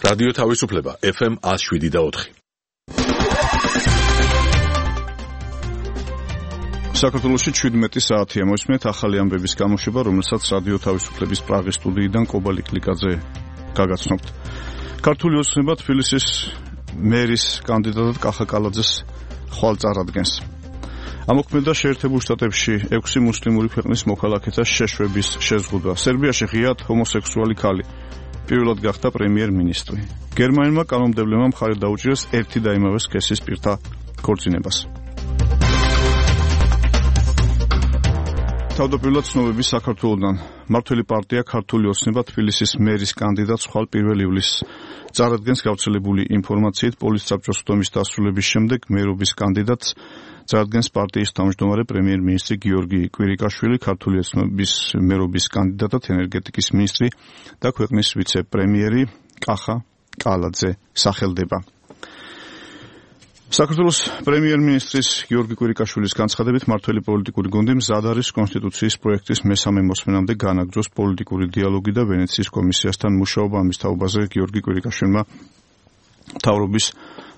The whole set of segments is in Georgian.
რადიო თავისუფლება FM 107.4. საქართველოში 17 საათია მოსმენთ ახალი ამბების გამოშვება, რომელსაც რადიო თავისუფლების პრაღის სტუდიიდან კობალი კლიკაძე გაგაცნობთ. ქართული ოცნება თბილისის მერის კანდიდატად კახა კალაძეს ხვალ წარადგენს. ამოქმედა შეერთებულ შტატებში 6 მუსლიმური ქვეყნის მოქალაქეთა შეშვების შეზღუდვა. სერბიაში ღიად ჰომოსექსუალი ქალი პირველად გახდა პრემიერ-მინისტრი. გერმანელმა კანონმდებლებმა მხარი დაუჭირეს ერთი და იმავე სქესის პირთა ქორწინებას. თავდაპირველად ცნობები საქართველოდან. მმართველი პარტია ქართული ოცნება თბილისის მერის კანდიდატს ხვალ 1 ივლისს წარადგენს. გავრცელებული ინფორმაციით პოლიტსაბჭოს უდომის დასრულების შემდეგ მერობის კანდიდატს წარადგენს პარტიის თავმჯდომარე პრემიერ-მინისტრი გიორგი კვირიკაშვილი, ქართული ოცნების მერობის კანდიდატად ენერგეტიკის მინისტრი და ქვეყნის ვიცე-პრემიერი კახა კალაძე სახელდება. საქართველოს პრემიერ-მინისტრის გიორგი კვირიკაშვილის განცხადებით, მმართველი პოლიტიკური გუნდი მზად არის კონსტიტუციის პროექტის მესამე მოსმენამდე განაგრძოს პოლიტიკური დიალოგი და ვენეციის კომისიასთან მუშაობა. ამის თაობაზე გიორგი კვირიკაშვილმა მთავრობის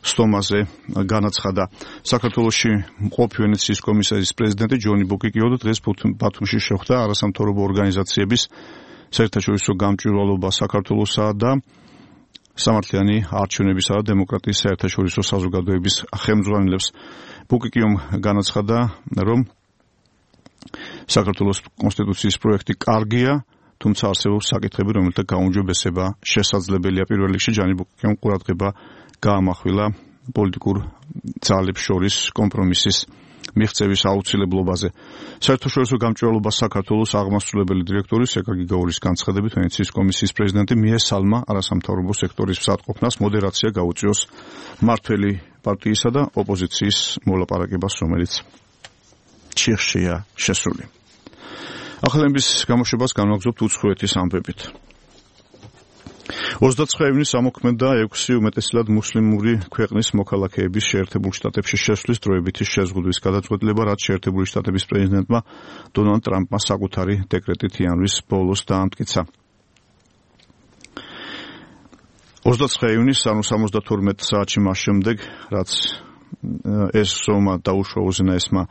სტომაზე განაცხადა. საქართველოში მყოფი ვენეციის კომისიის პრეზიდენტი ჯონი ბოკიკიო დღეს ბათუმში შეხვდა არასამთავრობო ორგანიზაციების საერთაშორისო გამჭვირვალობა საქართველოსა და სამართლიანი არჩევნებისა და დემოკრატიის საერთაშორისო საზოგადოების ხელმძღვანელებს. ბუკიკიომ განაცხადა, რომ საქართველოს კონსტიტუციის პროექტი კარგია, თუმცა არსებობს საკითხები, რომელთა გაუმჯობესება შესაძლებელია. პირველ რიგში ჯანი ბუკიკიომ ყურადღება გაამახვილა პოლიტიკურ ძალებს შორის კომპრომისის მიღწევის აუცილებლობაზე. საერთაშორისო გამჭვირვალობა საქართველოს აღმასრულებელი დირექტორის ეკაგი გაურის განცხადებით, ვენეციის კომისიის პრეზიდენტი მიესალმა არასამთავრობო სექტორის მსაჯყოფნას მოდერაცია გაუწიოს მმართველი პარტიისა და ოპოზიციის მოლაპარაკებას, რომელიც ჩიხშია შესული. ახალების გამოშვებას განვაგრძობთ უცხოეთის ამბებით. 29 ივნისს ამოქმედა 6 უმეტესად მუსლიმური ქვეყნის მოქალაქეების შეერთებულ შტატებში შესვლის დროებითი შეზღუდვის გადაწყვეტილება, რაც შეერთებული შტატების პრეზიდენტმა დონალდ ტრამპმა საკუთარი დეკრეტით იანვრის ბოლოს დაამტკიცა. 29 ივნისს, ანუ 72 საათში მას შემდეგ, რაც ეს ზომა დაუშვა უზენაესმა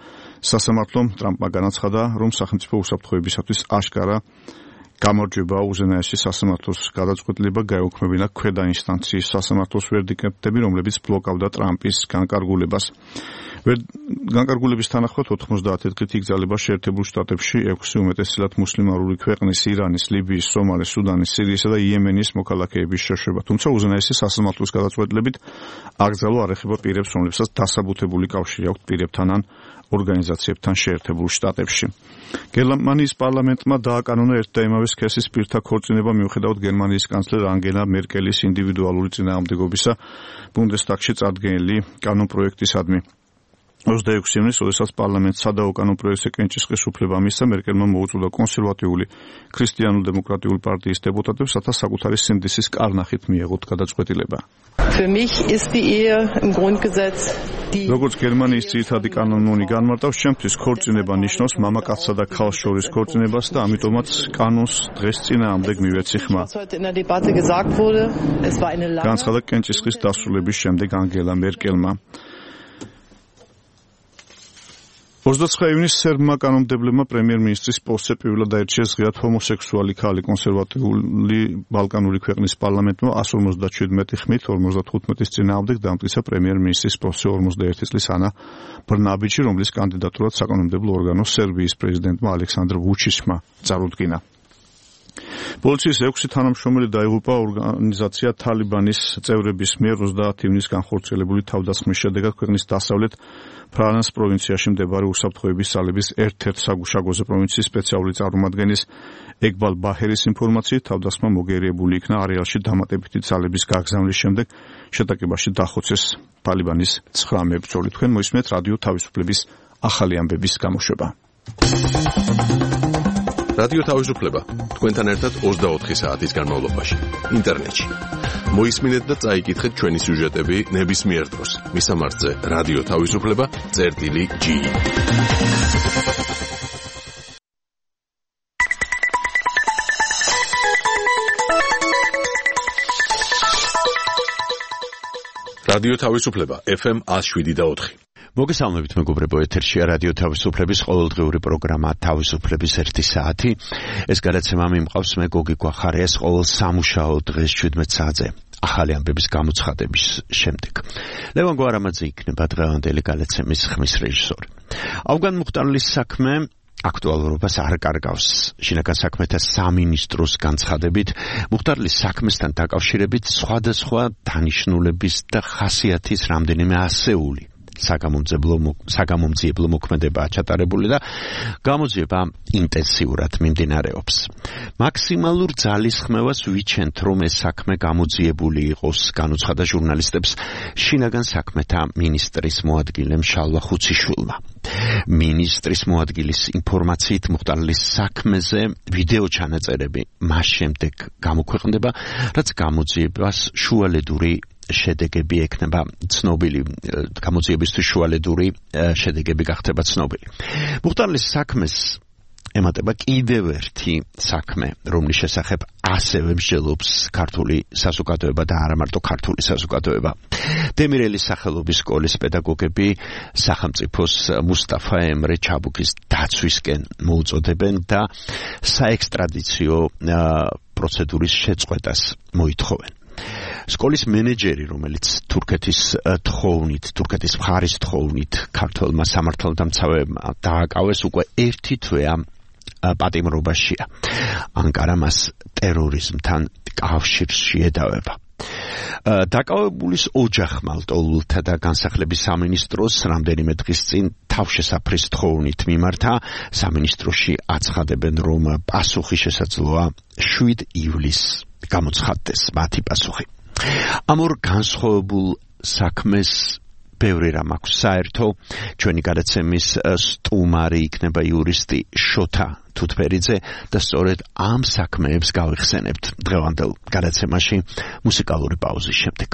სასამართლომ, ტრამპმა განაცხადა, რომ სახელმწიფო უსაფრთხოებისათვის აშკარა გამარჯვება უზენაესი სასამართლოს გადაწყვეტილება გაეუქმებინა ქვედა ინსტანციის სასამართლოს ვერდიქტები, რომლებიც ბლოკავდა ტრამპის განკარგულებას. განკარგულების თანახმად 90 დღით იგზავნება შეერთებულ შტატებში 6 უმეტესად მუსლიმანური ქვეყნის ირანის, ლიბიის, სომალის, სუდანის, სირიისა და იემენის მოქალაქეების შეშვება. თუმცა უზენაესი სასამართლოს გადაწყვეტილებით აკრძალვა არ ეხება პირებს, რომლებსაც დასაბუთებული კავშირი აქვთ პირებთან ან ორგანიზაციებთან შეერთებულ შტატებში. გერმანიის პარლამენტმა დააკანონა ერთ და იმავე სქესის პირთა ქორწინება მიუხედავად გერმანიის კანცლერ ანგელა მერკელის ინდივიდუალური წინააღმდეგობისა ბუნდესტაგში წარდგენილი კანონპროექტისადმი. 26 ივნისს, როდესაც პარლამენტს სადაო კანონპროექტზე კენჭისყრის უფლება მისცა, მერკელმა მოუწოდა კონსერვატიული ქრისტიანულ-დემოკრატიული პარტიის დეპუტატებს, რათა საკუთარი სინდისის კარნახით მიეღოთ გადაწყვეტილება. როგორც გერმანიის ძირითადი კანონი განმარტავს, ჩემთვის ქორწინება ნიშნავს მამაკაცსა და ქალს შორის ქორწინებას და ამიტომაც კანონს დღეს წინააღმდეგ მივეცი ხმა. განაცხადა კენჭისყრის დასრულების შემდეგ ანგელა მერკელმა. 29 ივნისს სერბმა კანონმდებლებმა პრემიერ-მინისტრის პოსტზე პირველად აირჩიეს ღიად ჰომოსექსუალი ქალი. კონსერვატიული ბალკანური ქვეყნის პარლამენტმა 157 ხმით 55-ის წინააღმდეგ დამტკიცა პრემიერ-მინისტრის პოსტზე 41 წლის ანა ბრნაბიჩი, რომლის კანდიდატურად საკანონმდებლო ორგანოს სერბიის პრეზიდენტმა ალექსანდრ ვუჩიჩმა წარუდგინა. პოლიციის 6 თანამშრომელი დაიღუპა ორგანიზაცია თალიბანის წევრების მიერ 30 ივნისს განხორციელებული თავდასხმის შედეგად ქვეყნის დასავლეთ ფრანს პროვინციაში მდებარე უსაფრთხოების ძალების ერთ-ერთ საგუშაგოზე პროვინციის სპეციალური წარმომადგენლის ეგბალ ბაჰერის ინფორმაციით თავდასხმა მოგერიებული იქნა არეალში დამატებითი ძალების გაგზავნის შემდეგ შეტაკებაში დახოცეს თალიბანის 9 მებრძოლი. თქვენ მოისმენთ რადიო თავისუფლების ახალი ამბების გამოშვება. რადიო თავისუფლება თქვენთან ერთად 24 საათის განმავლობაში ინტერნეტში. მოისმინეთ და წაიკითხეთ ჩვენი სიუჟეტები ნებისმიერ დროს. მისამართზე რადიო თავისუფლება.ge რადიო თავისუფლება FM 107.4. მოგესალმებით მეგობრებო, ეთერშია რადიო თავისუფლების ყოველდღიური პროგრამა თავისუფლების 1 საათი. ეს გადაცემა მიმყავს მე გოგი გვახარიას ყოველ სამუშაო დღეს 17 საათზე. ახალი ამბების გამოცხადების შემდეგ. ლევან გვარამაძე იქნება დღევანდელი გადაცემის ხმის რეჟისორი. ავგან მუხტარლის საქმე აქტუალურობას არ კარგავს. შინაგან საქმეთა სამინისტროს განცხადებით, მუხტარლის საქმესთან დაკავშირებით სხვადასხვა დანიშნულების და ხასიათის რამდენიმე ასეული საგამომძიებლო მოქმედებაა ჩატარებული და გამოძიება ინტენსიურად მიმდინარეობს. მაქსიმალურ ძალისხმევას ვიჩენთ, რომ ეს საქმე გამოძიებული იყოს, განუცხადა ჟურნალისტებს შინაგან საქმეთა მინისტრის მოადგილემ შალვა ხუციშვილმა. მინისტრის მოადგილის ინფორმაციით მუხტარლის საქმეზე ვიდეო ჩანაწერები მას შემდეგ გამოქვეყნდება, რაც გამოძიებას შუალედური შედეგები ექნება ცნობილი, გამოძიებისთვის შუალედური შედეგები გახდება ცნობილი. მუხტარლის საქმეს ემატება კიდევ ერთი საქმე, რომლის შესახებ ასევე მსჯელობს ქართული საზოგადოება და არა მარტო ქართული საზოგადოება. დემირელის სახელობის სკოლის პედაგოგები სახელმწიფოს მუსტაფა ემრე ჩაბუკის დაცვისკენ მოუწოდებენ და საექსტრადიციო პროცედურის შეწყვეტას მოითხოვენ. სკოლის მენეჯერი, რომელიც თურქეთის მხარის თხოვნით ქართველმა სამართალდამცავებმა დააკავეს, უკვე ერთი თვეა პატიმრობაშია. ანკარა მას ტერორიზმთან კავშირში ედავება. დაკავებულის ოჯახმა ლტოლვილთა და განსახლების სამინისტროს რამდენიმე დღის წინ თავშესაფრის თხოვნით მიმართა. სამინისტროში აცხადებენ, რომ პასუხი შესაძლოა 7 ივლისს გამოცხადდეს მათი პასუხი. ამ ორ განსხვავებულ საქმეს ბევრი რამ აქვს საერთო. ჩვენი გადაცემის სტუმარი იქნება იურისტი შოთა თუთფერიძე და სწორედ ამ საქმეებს გავიხსენებთ დღევანდელ გადაცემაში მუსიკალური პაუზის შემდეგ.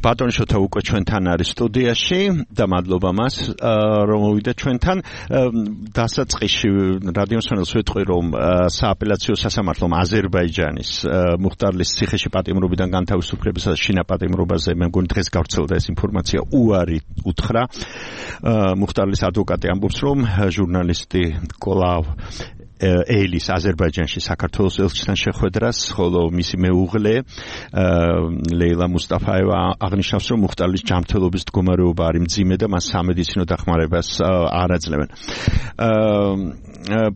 ბატონ შოთა უკვე ჩვენთან არის სტუდიაში და მადლობა მას რომ მოვიდა ჩვენთან. დასაწყისში რადიოსმენელს ვეთქვი რომ სააპელაციო სასამართლომ აზერბაიჯანის მუხტარლის ციხეში პატიმრობიდან განთავისუფლებისა და შინაპატიმრობაზე მე მგონი დღეს გავრცელდა ეს ინფორმაცია უარი უთხრა. მუხტარლის ადვოკატი ამბობს რომ ჟურნალისტი კოლავ ელის აზერბაიჯანში საქართველოს ელჩთან შეხვედრას, ხოლო მისი მეუღლე ლეილა მუსტაფაევა აღნიშნავს, რომ მუხტარლის ჯანმრთელობის მდგომარეობა არის მძიმე და მას სამედიცინო დახმარებას არ აძლევენ.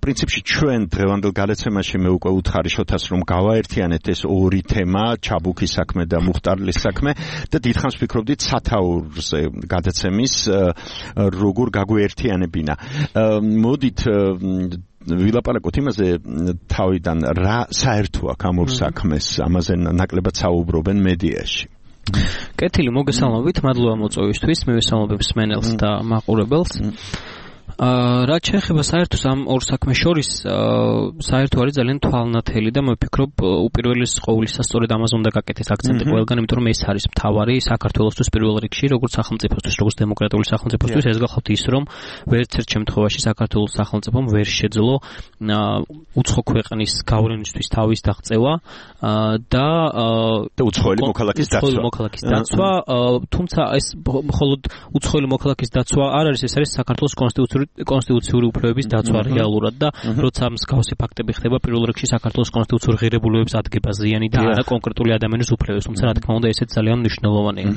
პრინციპში ჩვენ დღევანდელ გადაცემაში მე უკვე უთხარი შოთას რომ გავაერთიანეთ ეს ორი თემა, ჩაბუქის საქმე და მუხტარლის საქმე და დიდხანს ვფიქრობდით სათაურზე გადაცემის როგორ გაგვეერთიანებინა. მოდით ვილაპარაკოთ იმაზე თავიდან რა საერთო აქვს ამ ორ საქმეს, ამაზე ნაკლებად საუბრობენ მედიაში. კეთილი, მოგესალმებით, მადლობა მოწვევისთვის, მივესალმებ მსმენელს და მაყურებელს. რაც შეეხება საერთოს ამ ორ საქმეს შორის, საერთო არის ძალიან თვალნათელი და მე ვფიქრობ უპირველეს ყოვლისა სწორედ ამაზე უნდა გაკეთდეს აქცენტი ყველგან, იმიტომ რომ ეს არის მთავარი საქართველოსთვის პირველ რიგში, როგორც სახელმწიფოსთვის, როგორც დემოკრატიული სახელმწიფოსთვის, ეს გახლავთ ის, რომ ვერც ერთ შემთხვევაში საქართველოს სახელმწიფომ ვერ შეძლო უცხო ქვეყნის გავლენისთვის თავის დაღწევა და უცხოელი მოქალაქის დაცვა, თუმცა ეს მხოლოდ უცხოელი მოქალაქის დაცვა არ არის, ეს არის საქართველოს კონსტიტუციური უფლებების დაცვა რეალურად და როცა მსგავსი ფაქტები ხდება პირველ რიგში საქართველოს კონსტიტუციური ღირებულებების ადგება ზიანი და არა კონკრეტული ადამიანის უფლებებს, თუმცა რა თქმა უნდა ესეც ძალიან მნიშვნელოვანია.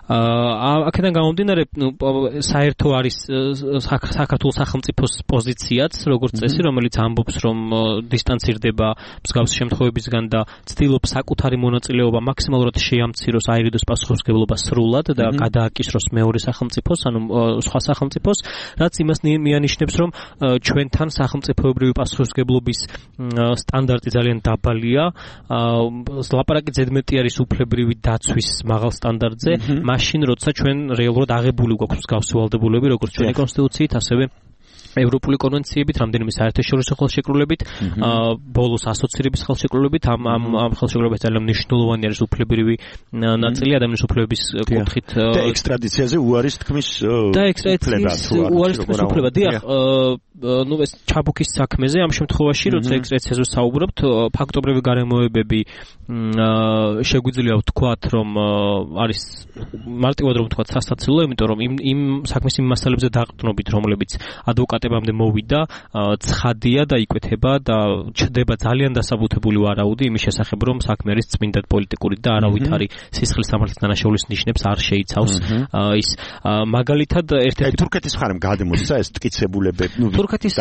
აქედან გამომდინარე, საერთო არის საქართველოს სახელმწიფოს პოზიციაც, როგორც წესი, რომელიც ამბობს, რომ დისტანცირდება მსგავსი შემთხვევებისგან და ცდილობს საკუთარი მონაწილეობა მაქსიმალურად შეამციროს, აირიდოს პასუხისმგებლობა სრულად და გადააკისროს მეორე სახელმწიფოს, ანუ სხვა სახელმწიფოს, რაც იმას მიანიშნებს, რომ ჩვენთან სახელმწიფოებრივი პასუხისმგებლობის სტანდარტი ძალიან დაბალია. ლაპარაკი ზედმეტი არის უფლებრივი დაცვის მაღალ სტანდარტზე. მაშინ როცა ჩვენ რეალურად აღებული გვაქვს მსგავსი ვალდებულები, როგორც ჩვენი კონსტიტუციით, ასევე ევროპული კონვენციებით, რამდენიმე საერთაშორისო ხელშეკრულებით, ბოლოს ასოცირების ხელშეკრულებით, ამ ხელშეკრულებით ძალიან მნიშვნელოვანი არის უფლებრივი ნაწილი ადამიანის უფლებების კუთხით და ექსტრადიციაზე უარის თქმის უფლება. დიახ, ну ეს ჩაბუქის საქმეზე ამ შემთხვევაში, როცა ექსტრადიციაზე საუბრობთ, ფაქტობრივი გარემოებები შეგვიძლია ვთქვათ, რომ არის მარტივად რომ ვთქვათ სასაცილო, იმიტომ რომ იმ საქმის იმ მასალებზე დაყრდნობით, რომლებიც ადვოკატებამდე მოვიდა, ცხადია და იკვეთება და ჩდება ძალიან დასაბუთებული ვარაუდი იმის შესახებ, რომ საქმე არის წმინდად პოლიტიკური და არავითარი სისხლის სამართლის დანაშაულის ნიშნებს არ შეიცავს. ის მაგალითად ერთ-ერთი თურქეთის მხარემ გადმოსცა ეს ტკიცებულებები, თურქეთის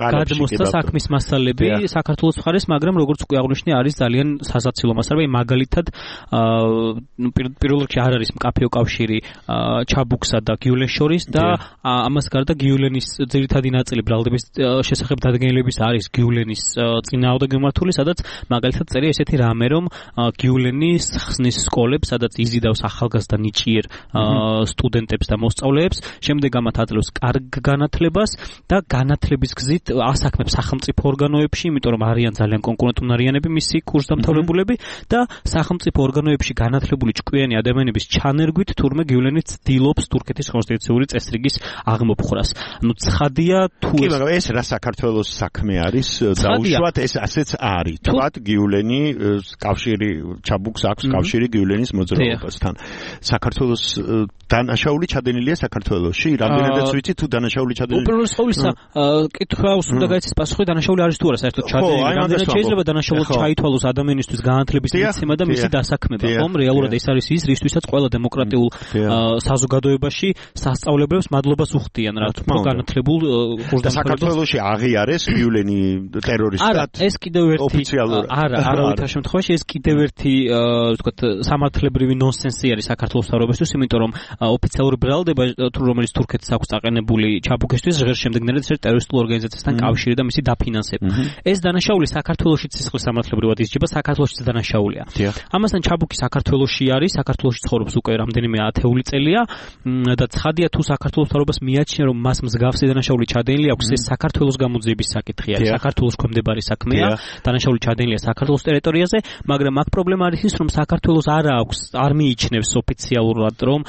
გადმოსცა საქმის მასალები საქართველოს მხარეს, მაგრამ როგორც უკვე აღნიშნე, არის ძალიან სასაცილო მასალები. მაგალითად, პირველ რიგში არ არის მკაფიო კავშირი ჩაბუქსა და გიულენს შორის და ამას გარდა გიულენის ძირითადი ნაწილი ბრალდების შესახებ დადგენილების არის გიულენის წინააღმდეგ მიმართული, სადაც მაგალითად წერია ესეთი რამე, რომ გიულენის ხსნის სკოლებს, სადაც იზიდავს ახალგაზრდა ნიჭიერ სტუდენტებს და მოსწავლეებს, შემდეგ ამათ აძლევს კარგ განათლებას და განათლების გზით ასაქმებს სახელმწიფო ორგანოებში, იმიტომ რომ არიან ძალიან კონკურენტუნარიანები მისი კურსდამთავრებულები და სახელმწიფო ორგანოებში განათლებული ჭკვიანი ადამიანების ჩანერგვით თურმე გიულენი ცდილობს თურქეთის კონსტიტუციური წესრიგის აღმოფხვრას. ну ცხადია თუ კი, მაგრამ ეს რა საქართველოს საქმე არის, დაუშვათ ეს ასეც არის. თქვათ გიულენი კავშირი ჩაბუქს აქვს კავშირი გიულენის მოძრაობასთან. საქართველოს დანაშაული ჩადენილია საქართველოში, რამდენადაც ვიცი თუ დანაშაული ჩადენილია. უპირველეს ყოვლისა, კითხვას უნდა გაიცეს პასუხი, დანაშაული არის თუ არა საერთოდ ჩადენილი. რამდენად შეიძლება დანაშაულად ჩაითვალოს ადამიანისთვის განათლების მიცემა და მისი დასაქმება, ხომ? რეალურად ეს არის ის, რისთვისაც ყველა დემოკრატიულ საზოგადოებაში სასწავლებლებს მადლობას უხდიან, რა თქმა უნდა, განათლებულ კურსდამთავრებულებს. საქართველოში აღიარეს გიულენი ტერორისტად. არა, ეს კიდევ ერთი არავითარ შემთხვევაში ეს კიდევ ერთი, ვთქვათ, სამართლებრივი ნონსენსი არის საქართველოს მთავრობისთვის, იმიტომ რომ ოფიციალური ბრალდება, რომელიც თურქეთს აქვს დაყენებული ჩაბუქისთვის, ჟღერს შემდეგნელად ერთ ტერორისტულ ორგანიზაციასთან კავშირი და მისი დაფინანსება. ეს დანაშაული საქართველოშიც სისხლის სამართლებრივად ისჯება, საქართველოშიც დანაშაულია. ამასთან ჩაბუკი საქართველოში არის, საქართველოში ცხოვრობს უკვე რამდენიმე ათეული წელია და ცხადია თუ საქართველოს მთავრობას მიაჩნია რომ მას მსგავსი დანაშაული ჩადენილი აქვს, ეს საქართველოს გამოძიების საკითხი არის, საქართველოს ქვემდებარე საქმეა, დანაშაული ჩადენილია საქართველოს ტერიტორიაზე, მაგრამ აქ პრობლემა არის ის რომ საქართველოს არ მიიჩნევს ოფიციალურად რომ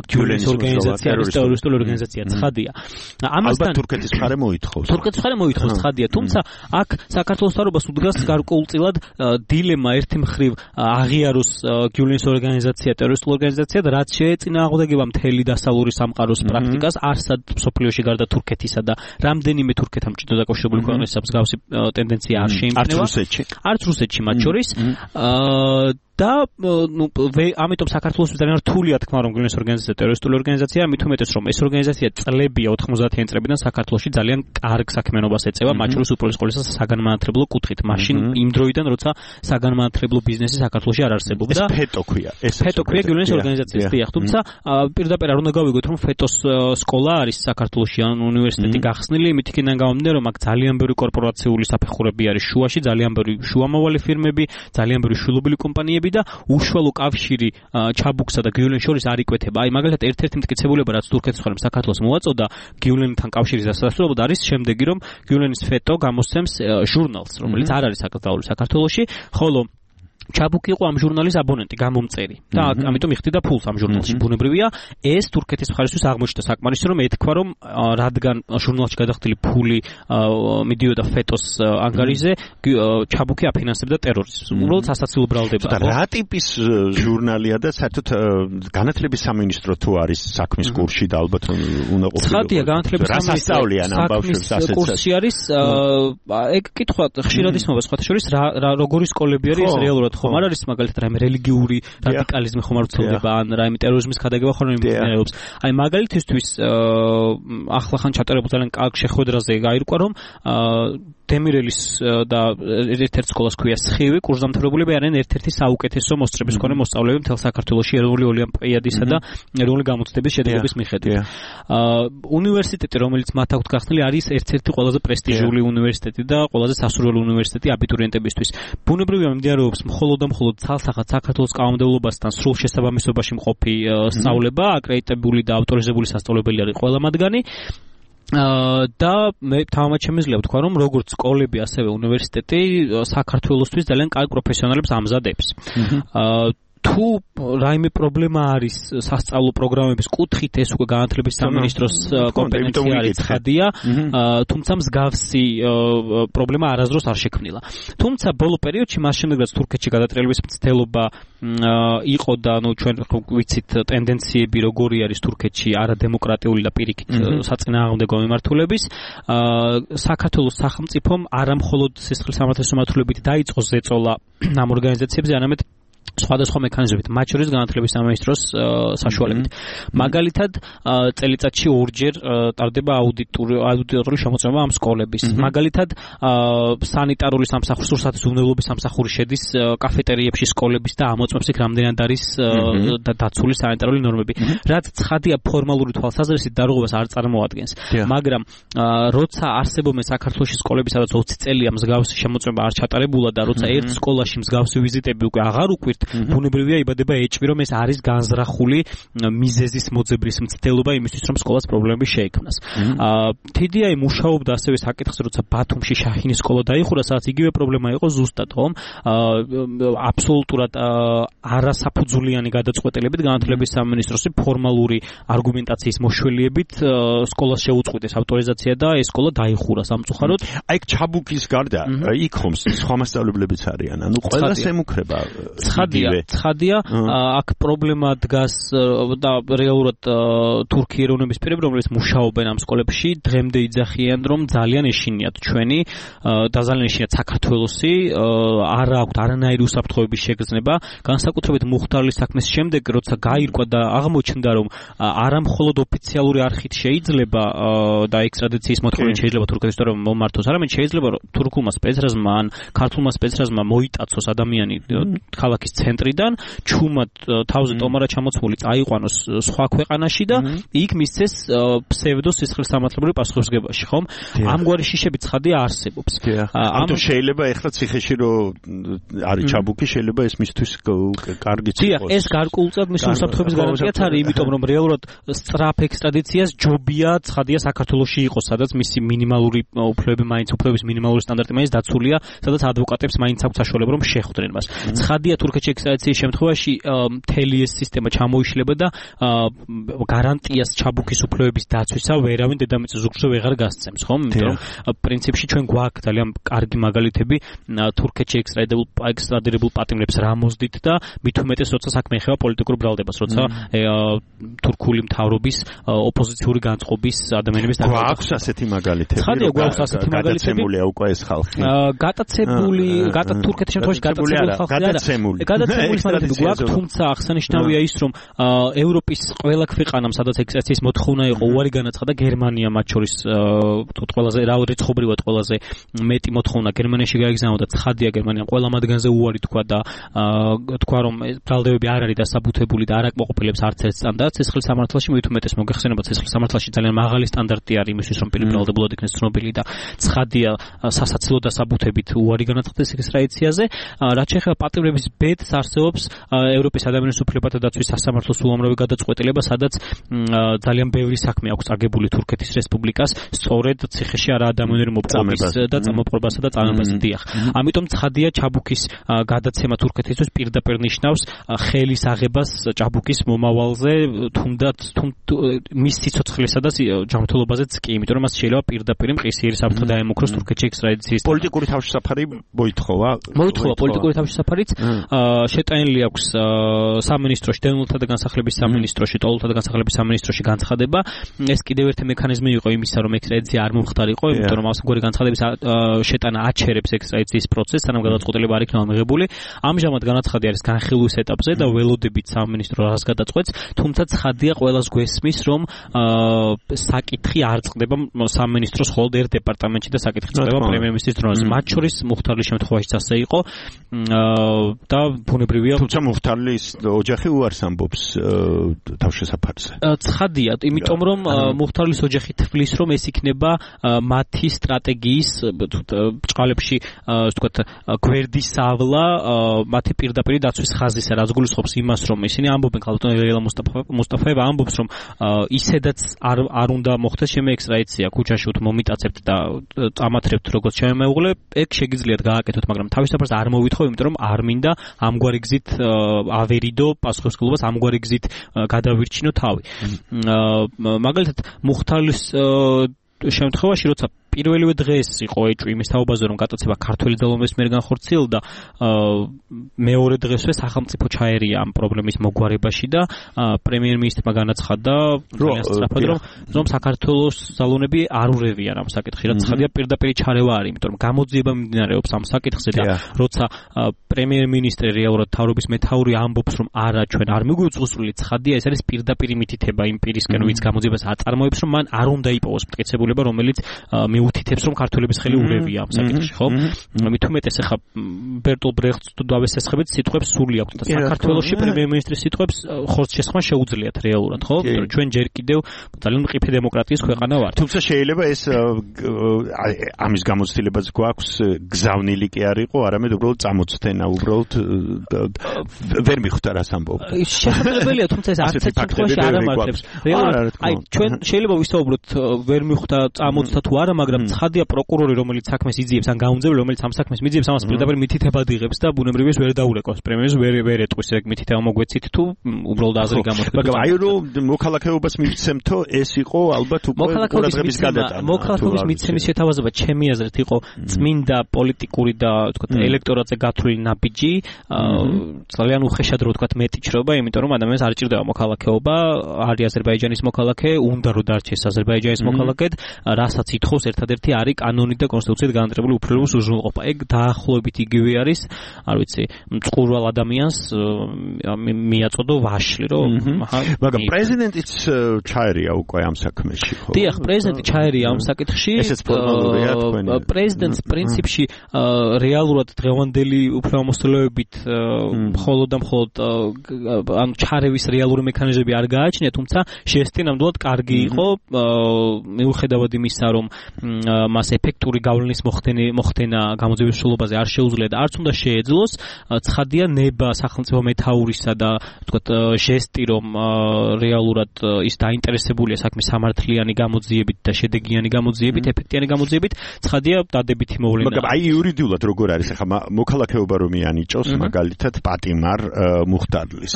გიულენის ორგანიზაცია არის ტერორისტული ორგანიზაცია, ცხადია. ამასთან თურქეთის მხარე მოითხოვს. თურქეთის მხარე მოითხოვს, ცხადია, თუმცა აქ საქართველოს მთავრობას უდგას გარკვეულწილად დილემა ერთი მხრივ აღიაროს გიულენის ორგანიზაცია ტერორისტული ორგანიზაცია და რაც შეეწინააღმდეგება მთელი დასავლური სამყაროს პრაქტიკას, არსად მსოფლიოში გარდა თურქეთისა და რამდენიმე თურქეთთან მჭიდრო დაკავშირებული ქვეყნების მსგავსი ტენდენცია არ შეიმჩნევა. არც რუსეთში მათ შორის. და ამიტომ საქართველოს ძალიან რთულია თქმა რომ გიულენის ორგანიზაცია ტერორისტული ორგანიზაციაა, მით უმეტეს რომ ეს ორგანიზაცია წლებია 90-იან წლებიდან საქართველოში ძალიან კარგ საქმიანობას ეწევა, მათ შორის უპირველეს ყოვლისა საგანმანათლებლო კუთხით, მაშინ იმ დროიდან როცა საგანმანათლებლო ბიზნესი საქართველოში არ არსებობდა. ეს ფეტო ქვია. ფეტო ქვია გიულენის ორგანიზაციის, დიახ, თუმცა პირდაპირ არ უნდა გავიგოთ რომ ფეტოს სკოლა არის საქართველოში ან უნივერსიტეტი გახსნილი, იმით იქიდან გამომდინარე რომ აქ ძალიან ბევრი კორპორაციული საფეხურები არის შუაში, ძალიან ბევრი შუამავალი ფირმები, ძალიან ბევრი შვილობილი კომპანიები და უშუალო კავშირი ჩაბუქსა და გიულენის შორის არ იკვეთება. აი მაგალითად ერთ-ერთი მტკიცებულება რაც თურქეთის მხარემ საქართველოს მოაწოდა გიულენთან კავშირის დასასრულებლად არის შემდეგი რომ გიულენის ფეტო გამოსცემს ჟურნალს, რომელიც არ არის აკრძალული საქართველოში, ხოლო ჩაბუკი იყო ამ ჟურნალის აბონენტი, გამომწერი და ამიტომ იხდიდა ფულს ამ ჟურნალში. ბუნებრივია, ეს თურქეთის მხარისთვის აღმოჩნდა საკმარისი რომ ეთქვა რომ რადგან ჟურნალში გადახდილი ფული მიდიოდა ფეტოს ანგარიზე, ჩაბუკი აფინანსებდა ტერორიზმს. უბრალოდ სასაცილო ბრალდება. და რა ტიპის ჟურნალია და საერთოდ განათლების სამინისტრო თუ არის საქმის კურსში და ალბათ უნდა ყოფილიყო. ცხადია, განათლების სამინისტროს საქმის კურსი არის, ეგ კითხვა ხშირად ისმობა სხვათა შორის როგორი სკოლები არის რეალურად ხომ არ არის მაგალითად რაიმე რელიგიური რადიკალიზმი ხომ არ ვრცელდება ან რაიმე ტერორიზმის გადაგება ხომ არ მიმდინარეობს. აი მაგალითისთვის ახლახან ჩატარებულ ძალიან კარგ შეხვედრაზე გაირკვა რომ დემირელის და ერთ-ერთ სკოლას ქვია სხივი, კურსდამთავრებულები არიან ერთ-ერთი საუკეთესო მოსწრების მქონე მოსწავლეები მთელ საქართველოში ეროვნული ოლიმპიადისა და ეროვნული გამოცდების შედეგების მიხედვით. უნივერსიტეტი, რომელიც მათ აქვთ გახსნილი, არის ერთ-ერთი ყველაზე პრესტიჟული უნივერსიტეტი და ყველაზე სასურველი უნივერსიტეტი აბიტურიენტებისთვის. ბუნებრივია მიმდინარეობს მხოლოდ და მხოლოდ ცალსახად საქართველოს კანონმდებლობასთან სრულ შესაბამისობაში მყოფი სწავლება, აკრედიტებული და ავტორიზებული სასწავლებელი არის ყველა მათგანი. და მე თამამად შემიძლია ვთქვა რომ როგორც სკოლები ასევე უნივერსიტეტი საქართველოსთვის ძალიან კარგ პროფესიონალებს ამზადებს. თუ რაიმე პრობლემა არის სასწავლო პროგრამების კუთხით, ეს უკვე განათლების სამინისტროს კომპეტენცია არის, ცხადია, თუმცა მსგავსი პრობლემა არასდროს არ შექმნილა. თუმცა ბოლო პერიოდში მას შემდეგ რაც თურქეთში გადატრიალების მცდელობა იყო და ჩვენ ვიცით ტენდენციები როგორი არის თურქეთში არადემოკრატიული და პირიქით საწინააღმდეგო მიმართულების, საქართველოს სახელმწიფომ არამხოლოდ სისხლის სამართლის მიმართულებით დაიწყო ზეწოლა ამ ორგანიზაციებზე, არამედ სხვადასხვა მექანიზმებით, მათ შორის განათლების სამინისტროს საშუალებით. მაგალითად, წელიწადში ორჯერ ტარდება აუდიტორული შემოწმება ამ სკოლების. მაგალითად, სანიტარული სამსახური, სურსათის უვნებლობის სამსახური შედის კაფეტერიებში სკოლების და ამოწმებს იქ რამდენად არის დაცული სანიტარული ნორმები. რაც ცხადია ფორმალური თვალსაზრისით დარღვევას არ წარმოადგენს. მაგრამ როცა არსებობენ საქართველოში სკოლები, სადაც 20 წელია მსგავსი შემოწმება არ ჩატარებულა და როცა ერთ სკოლაში მსგავსი ვიზიტები უკვე აღარ უკვირთ, ბუნებრივია იბადება ეჭვი, რომ ეს არის განზრახული მიზეზის მოძებრის მცდელობა იმისთვის, რომ სკოლას პრობლემები შეექმნას. TDI მუშაობდა ასევე საკითხზე, როცა ბათუმში შაჰინის სკოლა დაიხურა, სადაც იგივე პრობლემა იყო ზუსტად, ხომ? აბსოლუტურად არასაფუძვლიანი გადაწყვეტილებით განათლების სამინისტროს ფორმალური არგუმენტაციის მოშველიებით სკოლას შეუწყვიტეს ავტორიზაცია და ეს სკოლა დაიხურა სამწუხაროდ. აი ჩაბუკის გარდა იქ ხომ სხვა მასწავლებლებიც არიან, ანუ ყველას ემუქრება. ცხადია, აქ პრობლემა დგას და რეალურად თურქი ეროვნების პირები, რომლებიც მუშაობენ ამ სკოლებში, დღემდე იძახიან, რომ ძალიან ეშინიათ ჩვენი და ძალიან ეშინიათ საქართველოსი, არ აქვთ არანაირი უსაფრთხოების შეგრძნება, განსაკუთრებით მუხტარლის საქმის შემდეგ, როცა გაირკვა და აღმოჩნდა, რომ არამხოლოდ ოფიციალური არხით შეიძლება და ექსტრადიციის მოთხოვნით შეიძლება თურქეთის ისტორია მომართოს, არამედ შეიძლება თურქულმა სპეცრაზმა ან ქართულმა სპეცრაზმა მოიტაცოს ადამიანი ქალაქის ეკონომიკის ცენტრიდან ჩუმად თავზე ტომარა ჩამოცმული წაიყვანოს სხვა ქვეყანაში და იქ მისცეს ფსევდო სისხლისამართლებლური პასუხისმგებაში, ხომ? ამგვარი შიშები ცხადია არსებობს. ამიტომ შეიძლება ეხლა ციხეში რო არის ჩაბუქი, შეიძლება ეს მისთვის კარგიც იყოს. დიახ, ეს გარკვეულწილად მის უსაფრთხოების გარანტიაც არის, იმიტომ რომ რეალურად სწრაფ ექსტრადიციას ჯობია ცხადია საქართველოში იყოს, სადაც მისი მინიმალური უფლებების მინიმალური სტანდარტი მაინც დაცულია, სადაც ადვოკატებს მაინც აქვს საშუალება რომ შეხვდნენ მას. ცხადია თურქეთში ექსტრადიციის შემთხვევაში მთელი ეს სისტემა ჩამოიშლება და გარანტიას ჩაბუქის უფლებების დაცვისა ვერავინ დედამიწის ზურგზე ვეღარ გასცემს, ხომ? იმიტომ რომ პრინციპში ჩვენ გვაქვს ძალიან კარგი მაგალითები თურქეთში ექსტრადირებულ პატიმრებს რა მოძდით და მით უმეტეს როცა საქმე ეხება პოლიტიკურ ბრალდებას, როცა თურქული მთავრობის ოპოზიციური განწყობის ადამიანების გვაქვს ასეთი მაგალითები. ცხადია გვაქვს ასეთი მაგალითები. გადაცემულია უკვე ეს ხალხი. გატაცებული, თურქეთის შემთხვევაში გატაცებული ხალხი არა. გადაცემული მაგალითები გვაქვს, თუმცა აღსანიშნავია ის, რომ ევროპის ყველა ქვეყანამ, სადაც ექსტრადიციის მოთხოვნა იყო, უარი განაცხადა გერმანია მათ შორის თუთ ყველაზე რიცხობრივად ყველაზე მეტი მოთხოვნა გერმანიაში გაიგზავნა და ცხადია გერმანიამ ყველა მათგანზე უარი თქვა და თქვა რომ ბრალდებები არ არის დასაბუთებული და არ აკმაყოფილებს არც ერთ სტანდარტს სისხლისამართლში, მით უმეტეს მოგეხსენებათ სისხლისამართლში ძალიან მაღალი სტანდარტი არის იმისთვის რომ ბრალდებულად იქნეს ცნობილი და ცხადია სასაცილო დასაბუთებით უარი განაცხადეს ექსტრადიციაზე. რაც შეეხება პატიმრების ბედს არსებობს ევროპის ადამიანის უფლებათა დაცვის სასამართლოს უამრავი გადაწყვეტილება, სადაც ძალიან ბევრი საქმე აქვს აგებული თურქეთის რესპუბლიკას სწორედ ციხეში არა ადამიანური მოპყრობის და წამოპყრობასა და წამებაზე. დიახ. ამიტომ ცხადია ჩაბუქის გადაცემა თურქეთისთვის პირდაპირ ნიშნავს ხელის აღებას ჭაბუკის მომავალზე, თუნდაც მის სიცოცხლესა და ჯანმრთელობაზეც კი, იმიტომ რომ მას შეიძლება პირდაპირ მყისიერი საფრთხე დაემუქროს თურქეთში ექსტრადიციის. პოლიტიკური თავშესაფარი მოითხოვა. მოითხოვა პოლიტიკური თავშესაფარიც. შეტანილი აქვს სამინისტროში, დევნილთა და განსახლების სამინისტროში, ტოლთა და განსახლების სამინისტროში განცხადება. ეს კიდევ ერთი მექანიზმი იყო იმისა, რომ ექსტრადიცია არ მომხდარიყო, იმიტომ რომ ამგვარი განცხადების შეტანა აჩერებს ექსტრადიციის პროცესს, სანამ გადაწყვეტილება არ იქნება მიღებული. ამჟამად განაცხადი არის განხილვის ეტაპზე და ველოდებით სამინისტრო რას გადაწყვეტს, თუმცა ცხადია ყველას გვესმის, რომ საკითხი არ წყდება სამინისტროს მხოლოდ ერთ დეპარტამენტში და საკითხი წყდება პრემიერ-მინისტრის დროშზე. მათ შორის მუხთარლის შემთხვევაშიც ასე იყო და ბუნებრივია, თუმცა მუხთარლის ოჯახი უარს ამბობს თავშესაფარზე. ცხადია, იმიტომ რომ მუხთარლის ოჯახი თვლის, რომ ეს იქნება მათი სტრატეგიის ბჭყალებში, ვთქვათ, გვერდის ავლა მათი პირდაპირ დაცვის ხაზისა, რაც გულისხმობს იმას, რომ ისინი ამბობენ, ქალბატონ ელენა მუსტაფაევა ამბობს, რომ ისედაც არ უნდა მოხდეს ჩემი ექსტრადიცია, ქუჩაში უთო მომიტაცებთ და წამათრებთ როგორც შემეუღლე, ეგ შეგიძლიათ გააკეთოთ, მაგრამ თავისუფლებას არ მოვითხოვ, იმიტომ რომ არ მინდა ამგვარი გზით ავერიდო პასუხისმგებლობას, ამგვარი გზით გადავირჩინო თავი. მაგალითად, მუხთარლის შემთხვევაში, როცა პირველივე დღეს იყო ეჭვი იმის თაობაზე, რომ გატაცება ქართველი ძალოვნების მიერ განხორციელდა, მეორე დღესვე სახელმწიფო ჩაერია ამ პრობლემის მოგვარებაში და პრემიერ-მინისტრმა განაცხადა რომ საქართველოს ძალოვნები არ ურევიან ამ საკითხში, რაც ცხადია პირდაპირ ჩარევა არის, იმიტომ რომ გამოძიება მიმდინარეობს ამ საკითხზე და როცა პრემიერ-მინისტრი რეალურად თავრობის მეთაური ამბობს, რომ არა, ჩვენ არ მიგვიწვსული, ცხადია ეს არის პირდაპირ მითითება იმ პირისკენ, ვინც გამოძიებას აწარმოებს, რომ მან არ უნდა იპოვოს მტკიცებულება, რომელიც უთითებს რომ ქართველების ხელი ურევია ამ საკითხში, ხო? მით უმეტეს ახლა ბერტოლ ბრეხტს თუ დავესესხებით, სიტყვებს სული აქვს და საქართველოში პრემიერ-მინისტრის სიტყვებს ხორცს შესხმა შეუძლიათ რეალურად, ხო? იმიტომ რომ ჩვენ ჯერ კიდევ ძალიან მყიფე დემოკრატიის ქვეყანა ვართ. თუმცა შეიძლება ეს ამის გამოცდილებაც გვაქვს, გზავნილი კი არ იყო, არამედ უბრალოდ წამოწთენა, უბრალოდ ვერ მიხვდა რას ამბობ. შესაძლებელია, თუმცა ეს არც ერთ შემთხვევაში არ ამართლებს. აი ჩვენ შეიძლება ვისაუბროთ ვერ მიხვდა წამოწთა თუ არა, მაგრამ ცხადია პროკურორი, რომელიც საქმეს იძიებს, ან გაუმძეველი, რომელიც ამ საქმეს მიძიებს, ამას პირდაპირ მითითებად იღებს და ბუნებრივია ვერ დაურეკავს პრემიერს, ვერ ეტყვის ეგ მითითება მოგვეცით თუ უბრალოდ აზრი გამოთქვით. მაგრამ აი რომ მოქალაქეობას მივცემთო, ეს იყო ალბათ უკვე ყურადღების გადატანა. მოქალაქეობის მიცემის შეთავაზება ჩემი აზრით იყო წმინდა პოლიტიკური და ვთქვათ ელექტორატზე გათვლილი ნაბიჯი, ძალიან უხეშად რო ვთქვათ მეტი ჩრობა, იმიტომ რომ ადამიანს არ ჭირდება მოქალაქეობა, არის აზერბაიჯანის მოქალაქე, უნდა რომ დარჩეს აზერბაიჯანის მოქალაქედ, რასაც ითხოვს ერთადერთი არის კანონით და კონსტიტუციით განაწილებული უფლებების უზრუნველყოფა. ეგ დაახლოებით იგივე არის, არ ვიცი, მწყურვალ ადამიანს მიაწოდო ვაშლი, რომ მაგრამ პრეზიდენტიც ჩაერია უკვე ამ საქმეში, ხო? დიახ, პრეზიდენტი ჩაერია ამ საკითხში. ესეც ფორმალურია თქვენი. პრეზიდენტს პრინციპში რეალურად დღევანდელი უფლებამოსილებით მხოლოდ და მხოლოდ ანუ ჩარევის რეალური მექანიზმები არ გააჩნია, თუმცა შეესწია ნამდვილად კარგი იყო მიუხედავად იმისა, რომ მას ეფექტური გავლენის მოხდენა გამოძიების მსვლელობაზე არ შეუძლია და არც უნდა შეეძლოს, ცხადია ნება სახელმწიფო მეთაურისა და ვთქვათ ჟესტი, რომ რეალურად ის დაინტერესებულია საქმის სამართლიანი გამოძიებით და შედეგიანი გამოძიებით, ეფექტიანი გამოძიებით, ცხადია დადებითი მოვლენა. მაგრამ აი იურიდიულად როგორ არის ახლა მოქალაქეობა რომ მიანიჭოს მაგალითად პატიმარ მუხტარლის